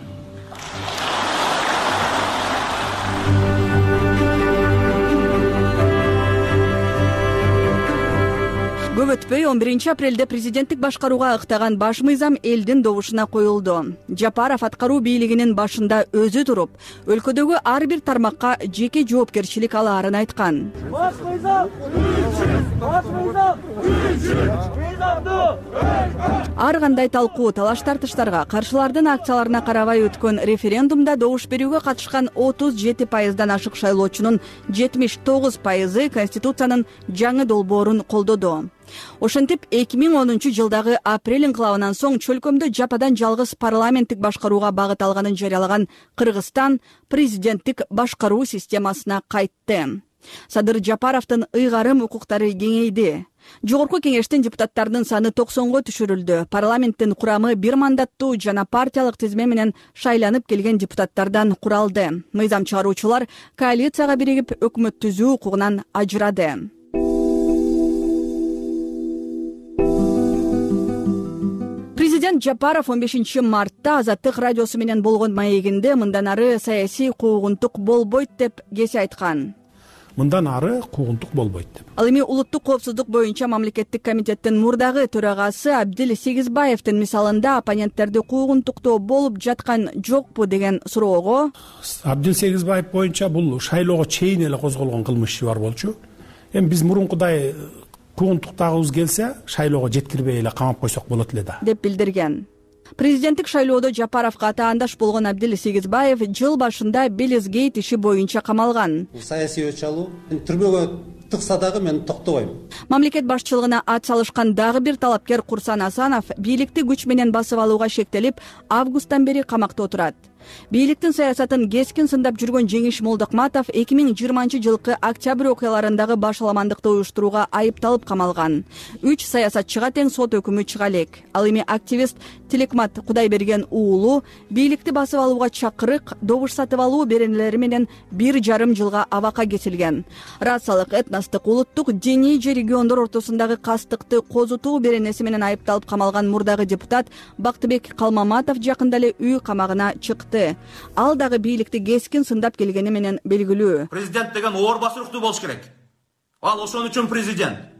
Speaker 11: Көп өтпөй он биринчи апрелде президенттик башкарууга ыктаган баш мыйзам элдин добушуна коюлду. Жапаров аткаруу бийлигинин башында өзү туруп, өлкөдөгү ар бир тармакка жеке жоопкерчилик алаарын айткан. Баш мыйзам баш мыйзам ар кандай талкуу, талаш тартыштарга, каршылардын акцияларына карабай өткөн референдумда добуш берүүгө катышкан отуз жети пайыздан ашык шайлоочунун жетимиш тогуз пайызы Конституциянын жаңы долбоорун колдоду. Ошентип эки миң онунчу жылдагы апрель инкылабынан соң чөлкөмдө жападан жалгыз парламенттик башкарууга багыт алганын жарыялаган Кыргызстан президенттик башкаруу системасына кайтты. Садыр Жапаровдун ыйгарым укуктары кеңейди. Жогорку кеңештин депутаттарынын саны токсонго түшүрүлдү. Парламенттин курамы бир мандаттуу жана партиялык тизме менен шайланып келген депутаттардан куралды. Мыйзам чыгаруучулар коалицияга биригип өкмөт түзүү укугунан ажырады. Президент Жапаров он бешинчи мартта Азаттык радиосу менен болгон маегинде мындан ары саясий куугунтук болбойт деп кесе айткан.
Speaker 3: Мындан ары куугунтук болбойт деп.
Speaker 11: Ал эми улуттук коопсуздук боюнча мамлекеттик комитеттин мурдагы төрагасы Абдил Сегизбаевдин мисалында оппоненттерди куугунтуктоо болуп жаткан жокпу деген суроого
Speaker 3: Абдил Сегизбаев боюнча бул шайлоого чейин эле козголгон кылмыш иши бар болчу. Эми биз мурункудай куугунтуктагыбыз келсе, шайлоого жеткирбей эле камап койсок болот эле да,
Speaker 11: деп билдирген. Президенттик шайлоодо Жапаровго атаандаш болгон Абдил Сегизбаев жыл башында Белизгейт иши боюнча камалган.
Speaker 12: Саясий өч алуу түрмөгө тыкса дагы мен токтобойм.
Speaker 11: Мамлекет башчылыгына ат салышкан дагы бир талапкер Курсан Асанов бийликти күч менен басып алууга шектелип, августтан бери камакта отурат. Бийликтин саясатын кескин сындап жүргөн Жеңиш Молдокматов эки миң жыйырманчы жылкы октябрь окуяларындагы башаламандыкты уюштурууга айыпталып камалган. Үч саясатчыга тең сот өкүмү чыга элек. Ал эми активист Тилекмат Кудайберген уулу бийликти басып алууга чакырык, добуш сатып алуу беренелери менен бир жарым жылга абакка кетилген. Расалык, этностук, улуттук, диний же региондор ортосундагы кастыкты козутуу беренеси менен айыпталып камалган мурдагы депутат Бактыбек Калмаматов жакында эле үй камагына чыкты. Ал дагы бийликти кескин сындап келгени менен белгилүү.
Speaker 13: Президент деген оор басыруктуу болуш керек. Ал ошон үчүн президент.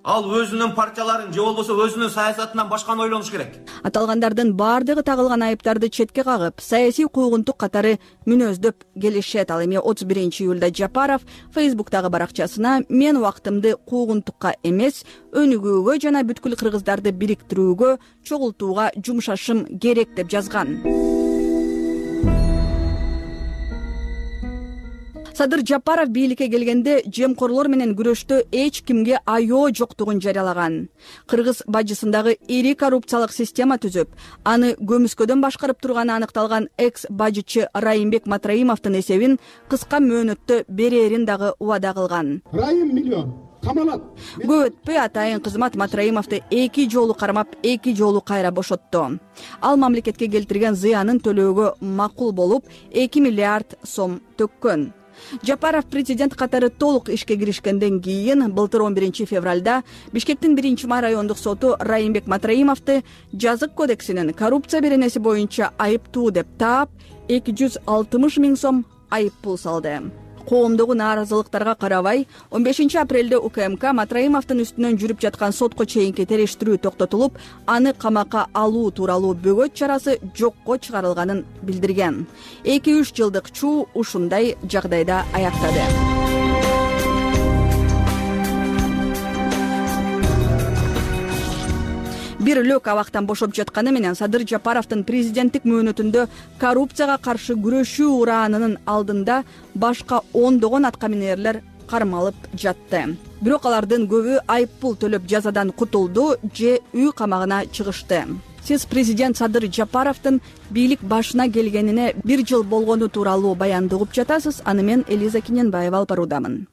Speaker 13: Ал өзүнүн партияларын же болбосо өзүнүн саясатынан башканы ойлонуш керек.
Speaker 11: Аталгандардын баардыгы тагылган айыптарды четке кагып, саясий куугунтук катары мүнөздөп келишет. Ал эми отуз биринчи июлда Жапаров Фейсбуктагы баракчасына мен убактымды куугунтукка эмес, өнүгүүгө жана бүткүл кыргыздарды бириктирүүгө, чогултууга жумшашым керек деп жазган. Садыр Жапаров бийликке келгенде жемкорлор менен күрөштө эч кимге аёо жоктугун жарыялаган. Кыргыз бажысындагы ири коррупциялык система түзүп, аны көмүскөдөн башкарып турганы аныкталган экс бажычы Райымбек Матраимовдун эсебин кыска мөөнөттө берерин дагы убада кылган.
Speaker 14: Райым миллион камалат.
Speaker 11: Көп өтпөй атайын кызмат Матраимовду эки жолу кармап, эки жолу кайра бошотту. Ал мамлекетке келтирген зыянын төлөөгө макул болуп, эки миллиард сом төккөн. Жапаров президент катары толук ишке киришкенден кийин былтыр он биринчи февралда Бишкектин биринчи май райондук соту Райымбек Матраимовду жазык кодексинин коррупция беренеси боюнча айыптуу деп таап, эки жүз алтымыш миң сом айып пул салды. Коомдогу нааразылыктарга карабай, он бешинчи апрелде УКМК Матраимовдун үстүнөн жүрүп жаткан сотко чейинки териштирүү токтотулуп, аны камакка алуу тууралуу бөгөт чарасы жокко чыгарылганын билдирген. эки үч жылдык чуу ушундай жагдайда аяктады. Бир лөк абактан бошоп жатканы менен Садыр Жапаровдун президенттик мөөнөтүндө коррупцияга каршы күрөшүү ураанынын алдында башка ондогон аткаминерлер кармалып жатты. Бирок алардын көбү айып пул төлөп жазадан кутулду же үй камагына чыгышты. Сиз президент Садыр Жапаровдун бийлик башына келгенине бир жыл болгону тууралуу баянды угуп жатасыз. Аны мен Элиза Киненбаева алып баруудамын.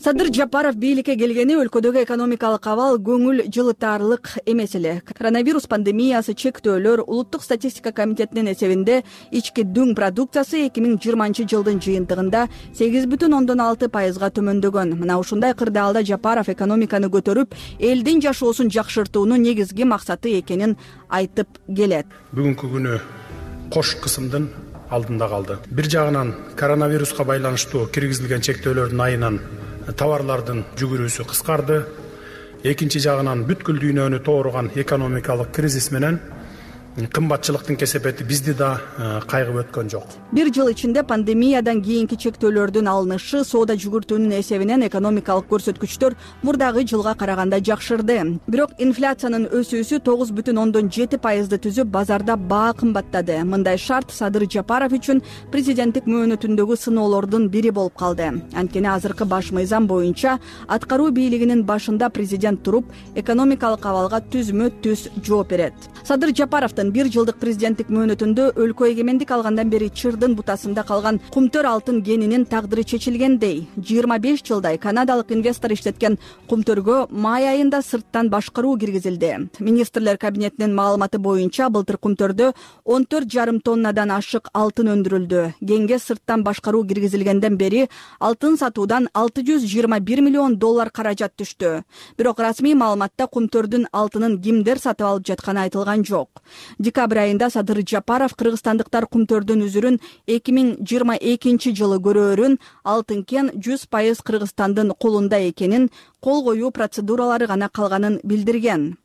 Speaker 11: Садыр Жапаров бийликке келгени өлкөдөгү экономикалык абал көңүл жылытаарлык эмес эле. Коронавирус пандемиясы, чектөөлөр, улуттук статистика комитетинин эсебинде ички дүң продукциясы эки миң жыйырманчы жылдын жыйынтыгында сегиз бүтүн ондон алты пайызга төмөндөгөн. Мына ушундай кырдаалда Жапаров экономиканы көтөрүп, элдин жашоосун жакшыртуунун негизги максаты экенин айтып келет.
Speaker 3: Бүгүнкү күнү кош кысымдын алдында калды. Бир жагынан коронавируска байланыштуу киргизилген чектөөлөрдүн айынан товарлардын жүгүрүүсү кыскарды. Экинчи жагынан бүткүл дүйнөнү тооруган экономикалык кризис менен кымбатчылыктын кесепети бизди да кайгып өткөн жок.
Speaker 11: Бир жыл ичинде пандемиядан кийинки чектөөлөрдүн алынышы, соода жүгүртүүнүн эсебинен экономикалык көрсөткүчтөр мурдагы жылга караганда жакшырды. Бирок инфляциянын өсүүсү тогуз бүтүн ондон жети пайызды түзүп, базарда баа кымбаттады. Мындай шарт Садыр Жапаров үчүн президенттик мөөнөтүндөгү сыноолордун бири болуп калды. Анткени азыркы баш мыйзам боюнча аткаруу бийлигинин башында президент туруп, экономикалык абалга түзмө түз жооп берет. Садыр Жапаровдун бир жылдык президенттик мөөнөтүндө өлкө эгемендик алгандан бери чырдын бутасында калган кумтөр алтын кенинин тагдыры чечилгендей. жыйырма беш жылдай канадалык инвестор иштеткен кумтөргө май айында сырттан башкаруу киргизилди. Министрлер кабинетинин маалыматы боюнча былтыр кумтөрдө он төрт жарым тоннадан ашык алтын өндүрүлдү. Кенге сырттан башкаруу киргизилгенден бери алтын сатуудан алты жүз жыйырма бир миллион доллар каражат түштү. Бирок расмий маалыматта кумтөрдүн алтынын кимдер сатып алып жатканы айтылган жок. Декабрь айында Садыр Жапаров кыргызстандыктар кумтөрдүн үзүрүн эки миң жыйырма экинчи жылы көрөөрүн, алтын кен жүз пайыз Кыргызстандын колунда экенин, кол коюу процедуралары гана калганын билдирген.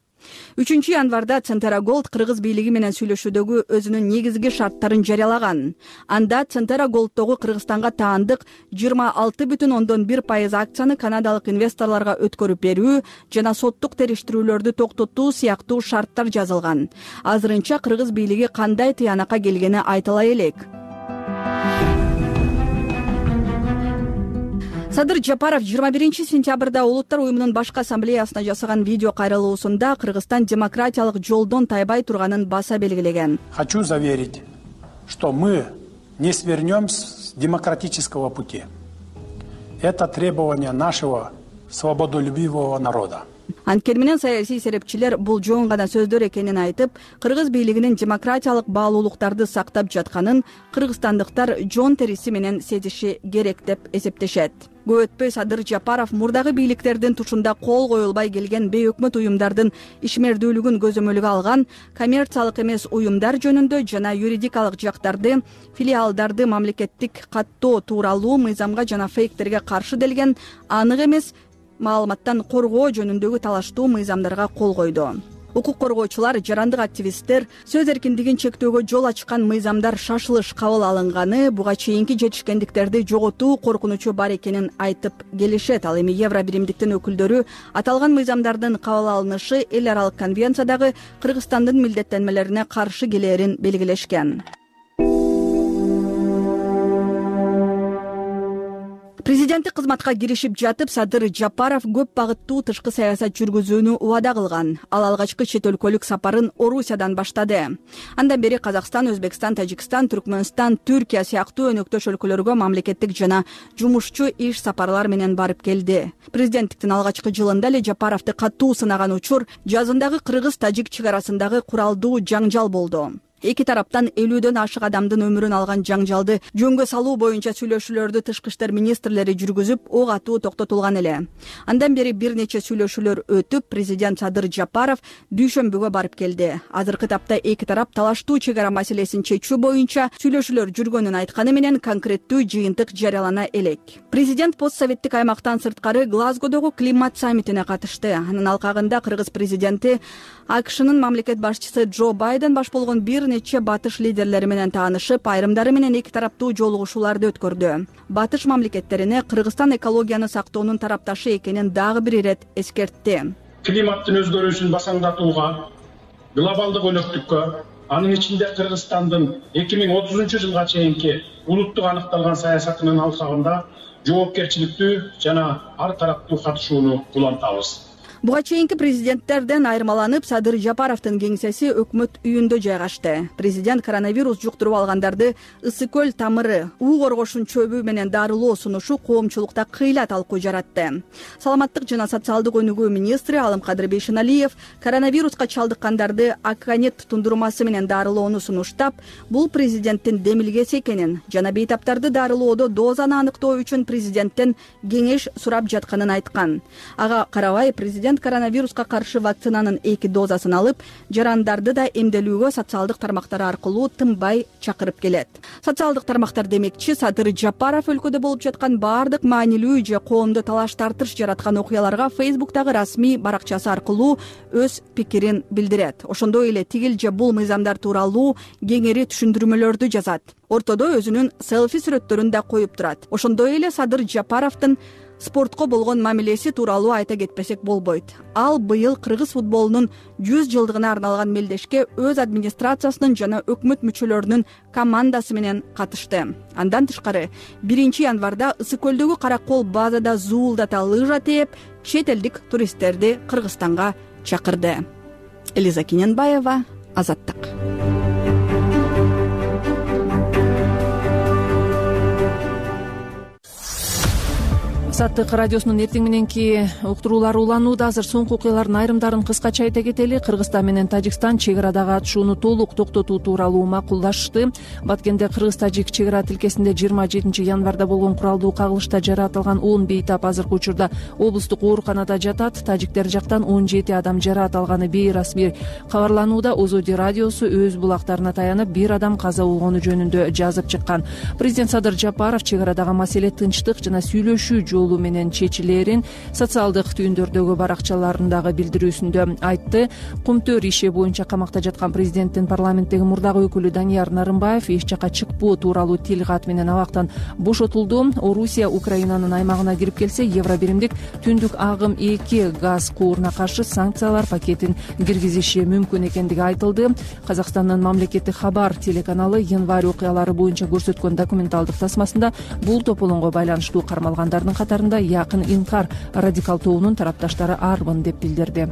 Speaker 11: үчүнчү январда Центера Голд Кыргыз бийлиги менен сүйлөшүүдөгү өзүнүн негизги шарттарын жарыялаган. Анда Центера Голддогу Кыргызстанга таандык жыйырма алты бүтүн ондон бир пайыз акцияны канадалык инвесторлорго өткөрүп берүү жана соттук териштирүүлөрдү токтотуу сыяктуу шарттар жазылган. Азырынча Кыргыз бийлиги кандай тыянакка келгени айтыла элек. Садыр Жапаров жыйырма биринчи сентябрда Улуттар уюмунун башкы ассамблеясына жасаган видео кайрылуусунда Кыргызстан демократиялык жолдон тайбай турганын баса белгилеген.
Speaker 3: Хочу заверить, что мы не свернем с демократического пути. Это требование нашего свободолюбивого народа.
Speaker 11: Анткени менен саясий серепчилер бул жон гана сөздөр экенин айтып, Кыргыз бийлигинин демократиялык баалуулуктарды сактап жатканын кыргызстандыктар жон териси менен сезиши керек деп эсептешет. Көп өтпөй Садыр Жапаров мурдагы бийликтердин тушунда кол коюлбай келген бейөкмөт уюмдардын ишмердүүлүгүн көзөмөлгө алган коммерциялык эмес уюмдар жөнүндө жана юридикалык жактарды, филиалдарды мамлекеттик каттоо тууралуу мыйзамга жана фейктерге каршы делген анык эмес маалыматтан коргоо жөнүндөгү талаштуу мыйзамдарга кол койду. Укук коргоочулар, жарандык активисттер сөз эркиндигин чектөөгө жол ачкан мыйзамдар шашылыш кабыл алынганы, буга чейинки жетишкендиктерди жоготуу коркунучу бар экенин айтып келишет. Ал эми Евро биримдиктин өкүлдөрү аталган мыйзамдардын кабыл алынышы эл аралык конвенциядагы Кыргызстандын милдеттенмелерине каршы келээрин белгилешкен. Президенттик кызматка киришип жатып, Садыр Жапаров көп багыттуу тышкы саясат жүргүзүүнү убада кылган. Ал алгачкы чет өлкөлүк сапарын Орусиядан баштады. Андан бери Казакстан, Өзбекстан, Тажикстан, Түркмөнстан, Түркия сыяктуу өнөктөш өлкөлөргө мамлекеттик жана жумушчу иш сапарлар менен барып келди. Президенттиктин алгачкы жылында эле Жапаровду катуу сынаган учур жазындагы кыргыз-тажик чек арасындагы куралдуу жаңжал болду. Эки тараптан элүүдөн ашык адамдын өмүрүн алган жаңжалды жөнгө салуу боюнча сүйлөшүүлөрдү тышкы иштер министрлери жүргүзүп, ок атуу токтотулган эле. Андан бери бир нече сүйлөшүүлөр өтүп, президент Садыр Жапаров дүйшөмбүгө барып келди. Азыркы тапта эки тарап талаштуу чек ара маселесин чечүү боюнча сүйлөшүүлөр жүргөнүн айтканы менен конкреттүү жыйынтык жарыялана элек. Президент постсоветтик аймактан сырткары Глазгодогу климат саммитине катышты. Анын алкагында кыргыз президенти АКШнын мамлекет башчысы Джо Байден баш болгон бир нече батыш лидерлери менен таанышып, айрымдары менен эки тараптуу жолугушууларды өткөрдү. Батыш мамлекеттерине Кыргызстан экологияны сактоонун тарапташы экенин дагы бир ирет эскертти.
Speaker 14: Климаттын өзгөрүүсүн басаңдатууга, глобалдык өнөктүккө, анын ичинде Кыргызстандын эки миң отузунчу жылга чейинки улуттук аныкталган саясатынын алкагында жоопкерчиликтүү жана ар тараптуу катышууну улантабыз.
Speaker 11: Буга чейинки президенттерден айырмаланып, Садыр Жапаровдун кеңсеси өкмөт үйүндө жайгашты. Президент коронавирус жуктуруп алгандарды ысык көл тамыры, уу коргошун чөбү менен дарылоо сунушу коомчулукта кыйла талкуу жаратты. Саламаттык жана социалдык өнүгүү министри Алымкадыр Бейшеналиев коронавируска чалдыккандарды Акканет тундурмасы менен дарылоону сунуштап, бул президенттин демилгеси экенин жана бейтаптарды дарылоодо дозаны аныктоо үчүн президенттен кеңеш сурап жатканын айткан. Ага карабай президент коронавируска каршы вакцинанын эки дозасын алып, жарандарды да эмделүүгө социалдык тармактар аркылуу тынбай чакырып келет. Социалдык тармактар демекчи, Садыр Жапаров өлкөдө болуп жаткан баардык маанилүү же коомдо талаш тартыш жараткан окуяларга Фейсбуктагы расмий баракчасы аркылуу өз пикирин билдирет. Ошондой эле тигил же бул мыйзамдар тууралуу кеңири түшүндүрмөлөрдү жазат. Ортодо өзүнүн селфи сүрөттөрүн да коюп турат. Ошондой эле Садыр Жапаровдун спортко болгон мамилеси тууралуу айта кетпесек болбойт. Ал быйыл кыргыз футболунун жүз жылдыгына арналган мелдешке өз администрациясынын жана өкмөт мүчөлөрүнүн командасы менен катышты. Андан тышкары биринчи январда Ысык көлдөгү Каракол базада зуулдата лыжа тээп, чет элдик туристтерди Кыргызстанга чакырды. Элиза Кененбаева, Азаттык.
Speaker 2: Азаттык радиосунун эртең мененки уктуруулары уланууда. Азыр соңку окуялардын айрымдарын кыскача айта кетели. Кыргызстан менен Тажикстан чек арадагы атышууну толук токтотуу тууралуу макулдашты. Баткенде кыргыз-тажик чек ара тилкесинде жыйырма жетинчи январда болгон куралдуу кагылышта жаратылган он бейтап азыркы учурда облустук ооруканада жатат. Тажиктер жактан он жети адам жараат алганы бейрасмий кабарланууда. Озоди радиосу өз булактарына таянып, бир адам каза болгону жөнүндө жазып чыккан. Президент Садыр Жапаров чек арадагы маселе тынчтык жана сүйлөшүү жолу менен чечилерин социалдык түйүндөрдөгү баракчаларындагы билдирүүсүндө айтты. Кумтөр иши боюнча камакта жаткан президенттин парламенттеги мурдагы өкүлү Данияр Нарымбаев эч жакка чыкпоо тууралуу тил кат менен абактан бошотулду. Орусия Украинанын аймагына кирип келсе, Евро биримдик түндүк агым эки газ кууруна каршы санкциялар пакетин киргизиши мүмкүн экендиги айтылды. Казакстандын мамлекеттик Хабар телеканалы январь окуялары боюнча көрсөткөн документалдык тасмасында бул тополоңго байланыштуу кармалгандардын катарында якын инкар радикал тобунун тарапташтары арбын деп билдирди.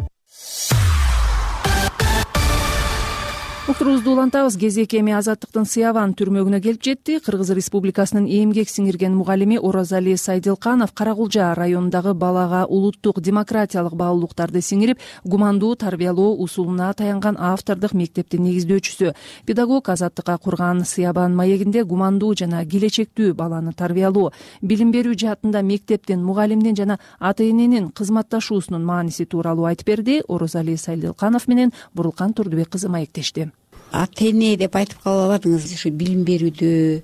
Speaker 2: Уктуруубузду улантабыз. Кезек эми Азаттыктын Сыябан түрмөгүнө келип жетти. Кыргыз Республикасынын эмгек сиңирген мугалими Оразали Сайдилканов Каракулжа районундагы балага улуттук демократиялык баалуулуктарды сиңирип, гумандуу тарбиялоо усулуна таянган автордук мектептин негиздөөчүсү. Педагог Азаттыкка курган Сыябан маегинде гумандуу жана келечектүү баланы тарбиялоо, билим берүү жаатында мектептин, мугалимдин жана ата-эненин кызматташуусунун мааниси тууралуу айтып берди. Оразали Сайдилканов менен Бурулкан Турдубек кызы маектешти.
Speaker 15: Ата-эне деп айтып кала албадыңыз. Ушу билим берүүдө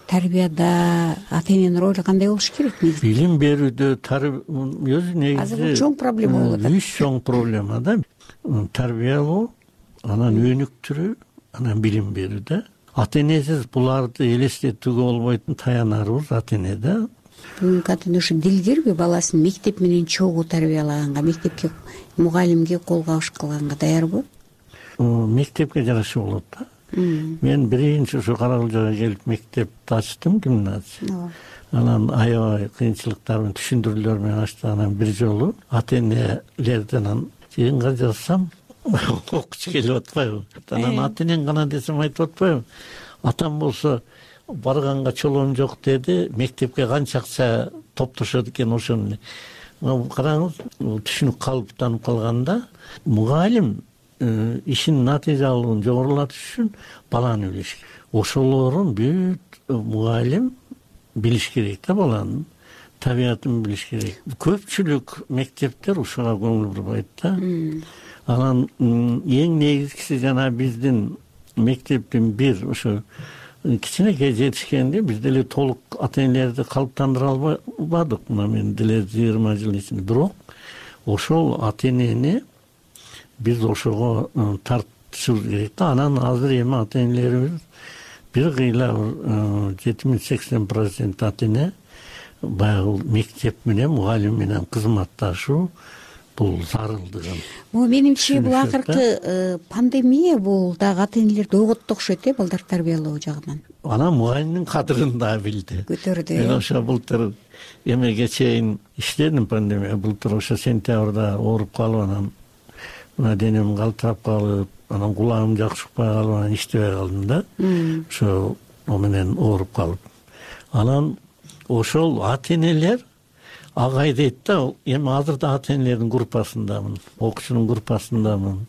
Speaker 15: тарбияда ата эненин ролу кандай болуш керек?
Speaker 18: Билим берүүдө өзү негизи
Speaker 15: азыр бул чоң проблема болуп атат.
Speaker 18: Үч чоң проблема да. Тарбиялоо, анан өнүктүрүү, анан билим берүү да. Ата энесиз буларды элестетүүгө болбойтун таянарыбыз ата эне да.
Speaker 15: Бүгүнкү ата эне ушу дилгирби баласын мектеп менен чогуу тарбиялаганга, мектепке мугалимге кол кабыш кылганга даярбы?
Speaker 18: Мектепке жараша болот да. Мен биринчи ушу Каракылжага келип мектепти ачтым, гимназия. Анан аябай кыйынчылыктар менен түшүндүрүүлөр менен ачтым. Анан бир жолу ата энелерден жыйынга жазсам окуучу келип атпайбы? Анан ата энең гана десем айтып атпайбы? Атам болсо барганга чолоом жок деди, мектепке канча акча топтошот экен ошону. Караңыз, түшүнүк калыптанып калганда мугалим ишин натыйжалуулугун жогорулатыш үчүн баланы билиш керек. Ошолорун бүт мугалим билиш керек да, баланын табиятын билиш керек. Көпчүлүк мектептер ушуга көңүл бурбайт да. Анан эң негизгиси жана биздин мектептин бир ошо кичинекей жетишкенде биз деле толук ата энелерди калыптандыра албадык. Мына мен деле жыйырма жыл ичинде. Бирок ошол ата энени биз ошого тартышыбыз керек да. Анан азыр эми ата энелерибиз бир кыйла жетимиш сексен процент ата эне баягы мектеп менен мугалим менен кызматташуу бул зарылдыгын.
Speaker 15: Бул менимче бул акыркы пандемия бул дагы ата энелерди ойготту окшойт э, балдар тарбиялоо жагынан.
Speaker 18: Анан мугалимдин кадырын да билди.
Speaker 15: Көтөрдү.
Speaker 18: Мен ошо былтыр эмеге чейин иштедим пандемия. Былтыр ошо сентябрда ооруп калып анан мына денем калтырап калып, анан кулагым жакшыкпай калып, анан иштебей калдым да. Ошо о менен ооруп калып. Анан ошол ата энелер агай дейт да, эми азыр да ата энелердин группасындамын, окуучунун группасындамын.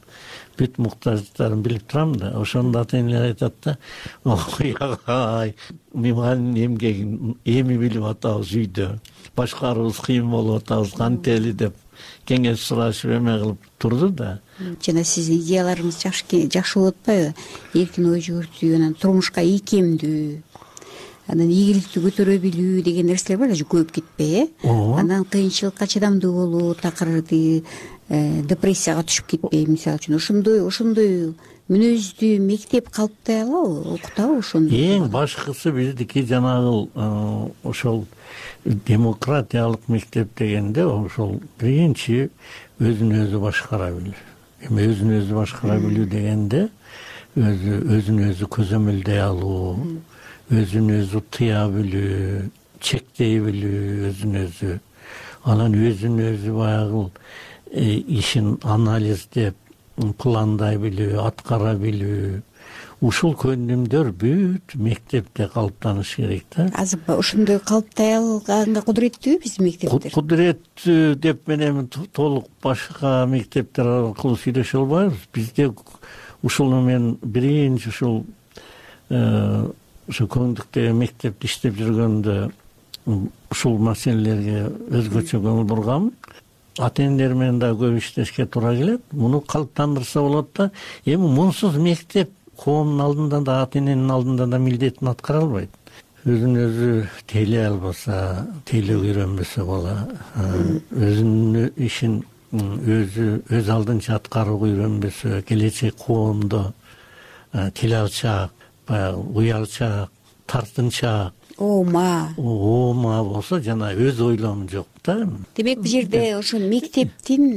Speaker 18: Бүт муктаждыктарын билип турам да. Ошондо ата энелер айтат да, ой агай, мугалимдин эмгегин эми билип атабыз үйдө. Башкарууубуз кыйын болуп атабыз, кантели деп кеңеш сурашып эме кылып турду да.
Speaker 15: Жана сиздин идеяларыңыз жакшы болуп атпайбы? Эркин ой жүгүртүү, анан турмушка ийкемдүү, анан ийгиликти көтөрө билүү деген нерселер бар, көйүп кетпей, э? Анан кыйынчылыкка чыдамдуу болуу, такыр депрессияга түшүп кетпей, мисалы үчүн ошондой ошондой мүнөздүү мектеп калыптай алабы, окутабы ошону?
Speaker 18: Эң башкысы биздики жанагы ошол демократиялык мектеп дегенде ошол биринчи өзүн өзү башкара билүү. Эми өзүн өзү башкара билүү дегенде өзү өзүн өзү көзөмөлдөй алуу, өзүн өзү тыя билүү, чектей билүү, өзүн өзү. Анан өзүн өзү баягы ишин анализдеп, пландай билүү, аткара билүү. Ушул көндүмдөр бүт мектепте калыптаныш керек да.
Speaker 15: Азыр ошондой калыптай алганга кудуреттүүбү биздин мектептер?
Speaker 18: Кудуреттүү деп мен эми толук башка мектептер аркылуу сүйлөшө албайбыз. Бизде ушуну мен биринчи ушул ошо көңдүктөгү мектепте иштеп жүргөндө ушул маселелерге өзгөчө көңүл бургам. Ата энелер менен да көп иштешке туура келет. Муну калыптандырса болот да. Эми мунсуз мектеп коомдун алдында да, ата эненин алдында да милдетин аткара албайт. Өзүн өзү тейлей албаса, тейлөөгө үйрөнбөсө бала, өзүнүн ишин өзү өз алдынча аткарууга үйрөнбөсө, келечек коомдо тил алчаак, баягы уялчаак, тартынчаак,
Speaker 15: оома
Speaker 18: оома болсо жана өз ойлому жок да.
Speaker 15: Демек бул жерде ошо мектептин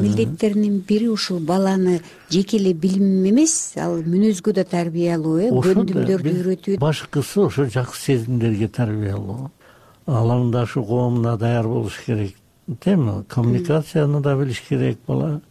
Speaker 15: милдеттеринин бири ушул баланы жеке эле билим эмес, ал мүнөзгө да тарбиялоо, э, көндүмдөрдү үйрөтүү.
Speaker 18: Башкысы ошо жакшы сезимдерге тарбиялоо. Алаңдашуу коомуна даяр болуш керек, теми? Коммуникацияны да билиш керек бала.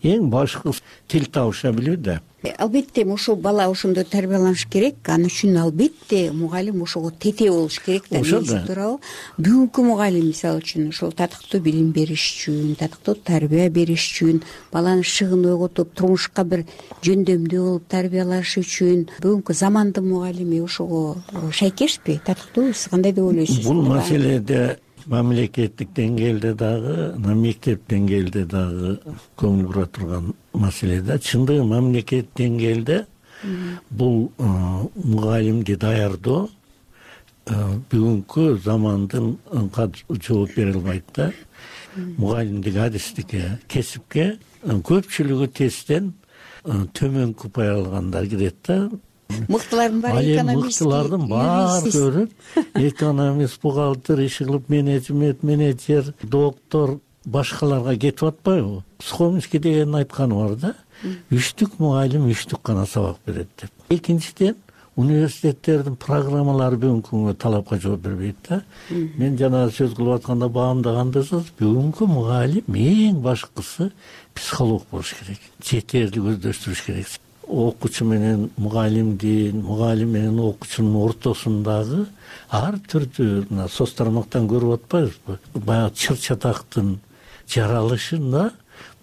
Speaker 18: Эң башкысы тил табыша билүү да.
Speaker 15: Албетте ошол бала ошондой тарбияланыш керек. Ал үчүн албетте мугалим ошого тете болуш керек да. Туурабы? Бүгүнкү мугалим мисалы үчүн ошол татыктуу билим бериш үчүн, татыктуу тарбия бериш үчүн, баланы шыгын ойготуп, турмушка бир жөндөмдүү болуп тарбиялаш үчүн бүгүнкү замандын мугалими ошого шайкешпи, татыктуубу? Сиз кандай деп ойлойсуз?
Speaker 18: Бул маселеде мамлекеттик деңгээлде дагы, мектеп деңгээлде дагы көңүл бура турган маселе да. Чындыгы мамлекет деңгээлде бул мугалимди даярдоо бүгүнкү замандынга жооп бере албайт да. Мугалимдик адистикке, кесипке көпчүлүгү тесттен төмөнкү упай алгандар кирет да.
Speaker 15: Мыктылардын баары экономист,
Speaker 18: мыктылардын баары көрүп, экономист, бухгалтер, иш кылып, менеджмент, менеджер, доктор, башкаларга кетип атпайбы? Схомский деген айтканы бар да. Үчтүк мугалим үчтүк гана сабак берет деп. Экинчиден, университеттердин программалары бүгүнкү күнгө талапка жооп бербейт да. Мен жана сөз кылып атканда баамдагандысыз, бүгүнкү мугалим эң башкысы психолог болуш керек, жетерлик өздөштүрүш керек. Окуучу менен мугалимдин, мугалим менен окуучунун ортосундагы ар түрдүү мына соц тармактан көрүп атпайбызбы? Баягы чыр чатактын жаралышында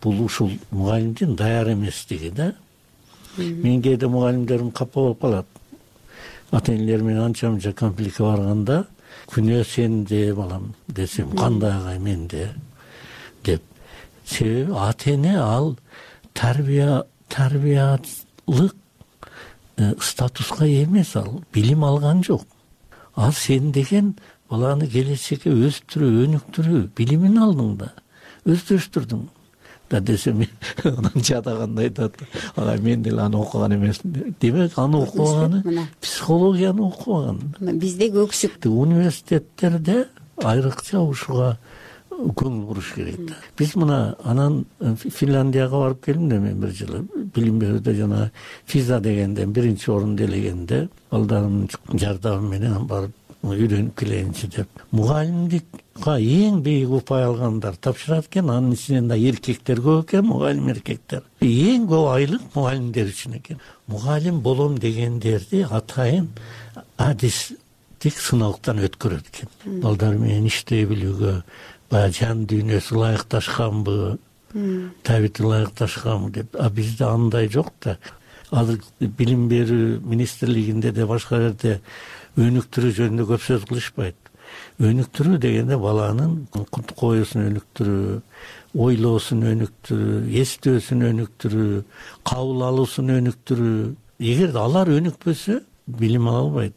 Speaker 18: бул ушул мугалимдин даяр эместиги да. Мен кээде мугалимдерим капа болуп калат. Ата энелер менен анча мынча конфликтке барганда, күнөө сенде балам десем, кандай агай менде деп. Себеби ата эне ал тарбия тарбиялык статуска ээ эмес, ал билим алган жок. Ал сен деген баланы келечекке өстүрүү, өнүктүрүү билимин алдың да, өздөштүрдүң да десем, анан жадаганда айтат, ага мен деле аны окуган эмесмин. Демек аны окубаганы психологияны окубаган.
Speaker 15: Бизде көксүк.
Speaker 18: Университеттерде айрыкча ушуга көңүл буруш керек да. Биз мына анан Финляндияга барып келдим да мен бир жылы. Билим берүүдө жана физа дегенден биринчи орунду ээлегенде балдарымдын жардамы менен барып үйрөнүп келейинчи деп. Мугалимдикка эң бийик упай алгандар тапшырат экен, анын ичинен да эркектер көп экен, мугалим эркектер. Эң көп айлык мугалимдер үчүн экен. Мугалим болом дегендерди атайын адистик сыналыктан өткөрөт экен. Балдар менен иштей билүүгө, баягы жан дүйнөсү ылайыкташканбы, табити ылайыкташканбы деп. А бизде андай жок да. Азыр билим берүү министрлигинде де башка жерде өнүктүрүү жөнүндө көп сөз кылышпайт. Өнүктүрүү дегенде баланын коюусун өнүктүрүү, ойлоосун өнүктүрүү, эстөөсүн өнүктүрүү, кабыл алуусун өнүктүрүү. Эгер алар өнүкпөсө, билим ала албайт.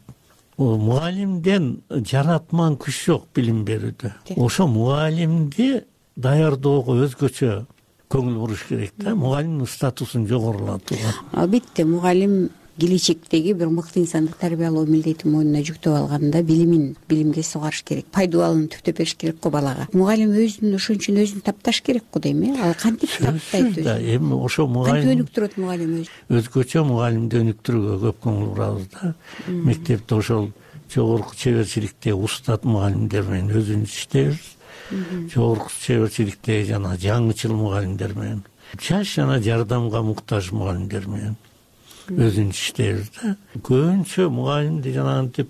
Speaker 18: Мугалимден жаратман күч жок билим берүүдө. Ошо мугалимди даярдоого өзгөчө көңүл буруш керек да, мугалимдин статусун жогорулатууга.
Speaker 15: Албетте, мугалим келечектеги бир мыкты инсанды тарбиялоо милдетин мойнуна жүктөп алганда билимин билимге сугарыш керек, пайдубалын түптөп бериш керек го балага. Мугалим өзүн ошон үчүн өзүн тапташ керек го дейм э. Ал кантип таптайт өзүн? Эми ошо мугалим кантип өнүктүрөт мугалим өзүн?
Speaker 18: Өзгөчө мугалимди өнүктүрүүгө көп көңүл бурабыз да. Мектепте ошол жогорку чеберчиликте устат мугалимдер менен өзүбүз иштейбиз. Жогорку чеберчиликтеги жана жаңычыл мугалимдер менен, жаш жана жардамга муктаж мугалимдер менен өзүн иштейбиз да. Көбүнчө мугалимди жанагынтип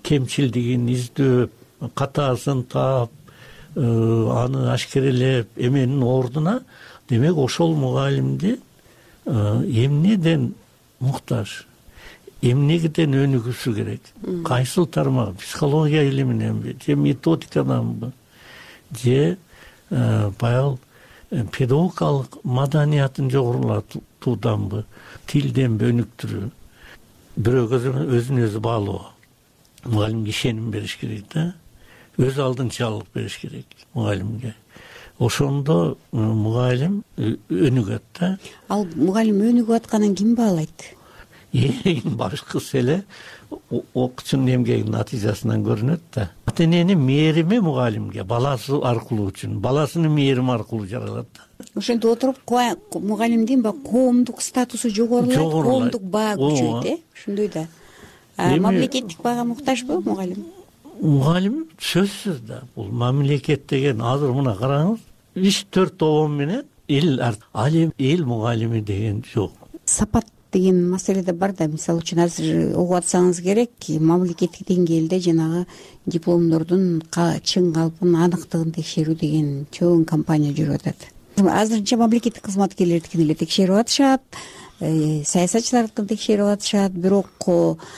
Speaker 18: кемчилдигин издөөп, катаасын таап, аны ашкерелеп эменин ордуна, демек ошол мугалимди эмнеден муктаж, эмнеден өнүгүшү керек? Кайсыл тармак? Психология илиминенби, же методикаданбы, же баягы педагогикалык маданиятын жогорулатууданбы, тилденби өнүктүрүү, бирөөгө өзүн өзү баалоо. Мугалимге ишеним бериш керек да, өз алдынчалык бериш керек мугалимге. Ошондо мугалим өнүгөт да.
Speaker 15: Ал мугалим өнүгүп атканын ким баалайт?
Speaker 18: Эң башкысы эле окуучунун эмгегинин натыйжасынан көрүнөт да. Ата эненин мээрими мугалимге баласы аркылуу үчүн, баласынын мээрими аркылуу жаралат да.
Speaker 15: Ошентип отуруп мугалимдин коомдук статусу жогорулайт, коомдук баа күчөйт, э? Ошондой да. Мамлекеттик баага муктажбы мугалим?
Speaker 18: Мугалим сөзсүз да. Бул мамлекет деген азыр мына караңыз, үч төрт обон менен эл ал эл мугалими деген жок.
Speaker 15: Сапат деген маселе да бар да. Мисалы үчүн азыр угуп атсаңыз керек, мамлекеттик деңгээлде жанагы дипломдордун чын калпын, аныктыгын текшерүү деген чоң кампания жүрүп атат. Азырынча мамлекеттик кызматкерлердикин эле текшерип атышат, саясатчылардыкын текшерип атышат, бирок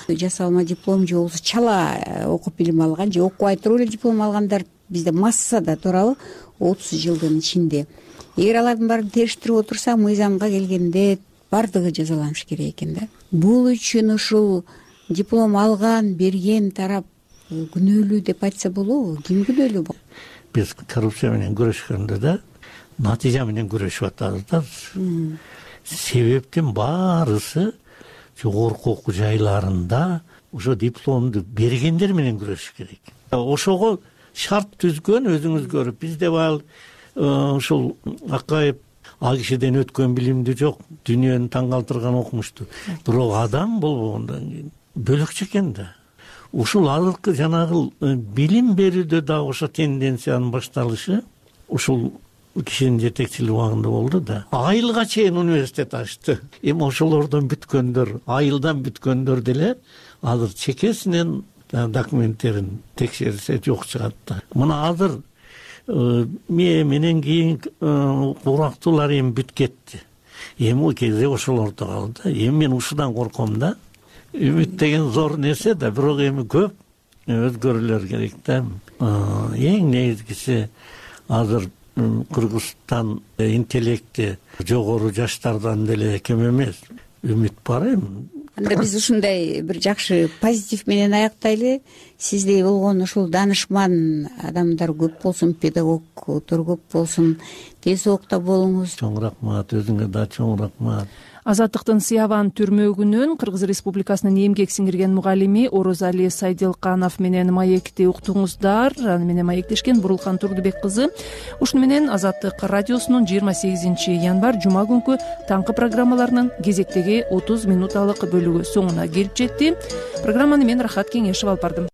Speaker 15: жасалма диплом же болбосо чала окуп билим алган же окубай туруп эле диплом алгандар бизде массада туурабы отуз жылдын ичинде. Эгер алардын баарын териштирип отурсак, мыйзамга келгенде бардыгы жазаланыш керек экен да. Бул үчүн ушул диплом алган, берген тарап күнөөлүү деп айтса болобу? Ким күнөөлүү?
Speaker 18: Биз коррупция менен күрөшкөндө да натыйжа менен күрөшүп атабыз да. Себептин баарысы жогорку окуу жайларында ошо дипломду бергендер менен күрөшүш керек. Ошого шарт түзгөн өзүңүз көрүп, бизде баал ушул Акаев ал кишиден өткөн билимди жок, дүйнөнү таң калтырган окумушту. Бирок адам болбогондон кийин бөлөкчө экен да. Ушул азыркы жанагы билим берүүдө дагы ошо тенденциянын башталышы ушул кишинин жетекчилиги убагында болду да. Айылга чейин университет ачты. Эми ошолордон бүткөндөр, айылдан бүткөндөр деле азыр чекесинен документтерин текшерсе жок чыгат да. Мына азыр мээ менен кийин урактуулар эми бүт кетти. Эми кезде ошолордо калды. Эми мен ушудан корком да. Үмүт деген зор нерсе да, бирок эми көп өзгөрүүлөр керек да. Эң негизгиси азыр Кыргызстан интеллекти жогору жаштардан деле кем эмес. Үмүт бар эми.
Speaker 15: Анда биз ушундай бир жакшы позитив менен аяктайлы. Сиздей болгон ушул данышман адамдар көп болсун, педагогдор көп болсун. Тез окта болуңуз.
Speaker 18: Чоң рахмат, өзүңө да чоң рахмат.
Speaker 2: Азаттыктын Сыябан түрмөгүнөн Кыргыз Республикасынын эмгек сиңирген мугалими Орозали Сайдилканов менен маекти уктуңуздар. Аны менен маектешкен Бурулхан Турдубек кызы. Ушуну менен Азаттык радиосунун жыйырма сегизинчи январь жума күнкү таңкы программаларынын кезектеги отуз минуталык бөлүгү соңуна келип жетти. Программаны мен Рахат Кеңешев алып бардым.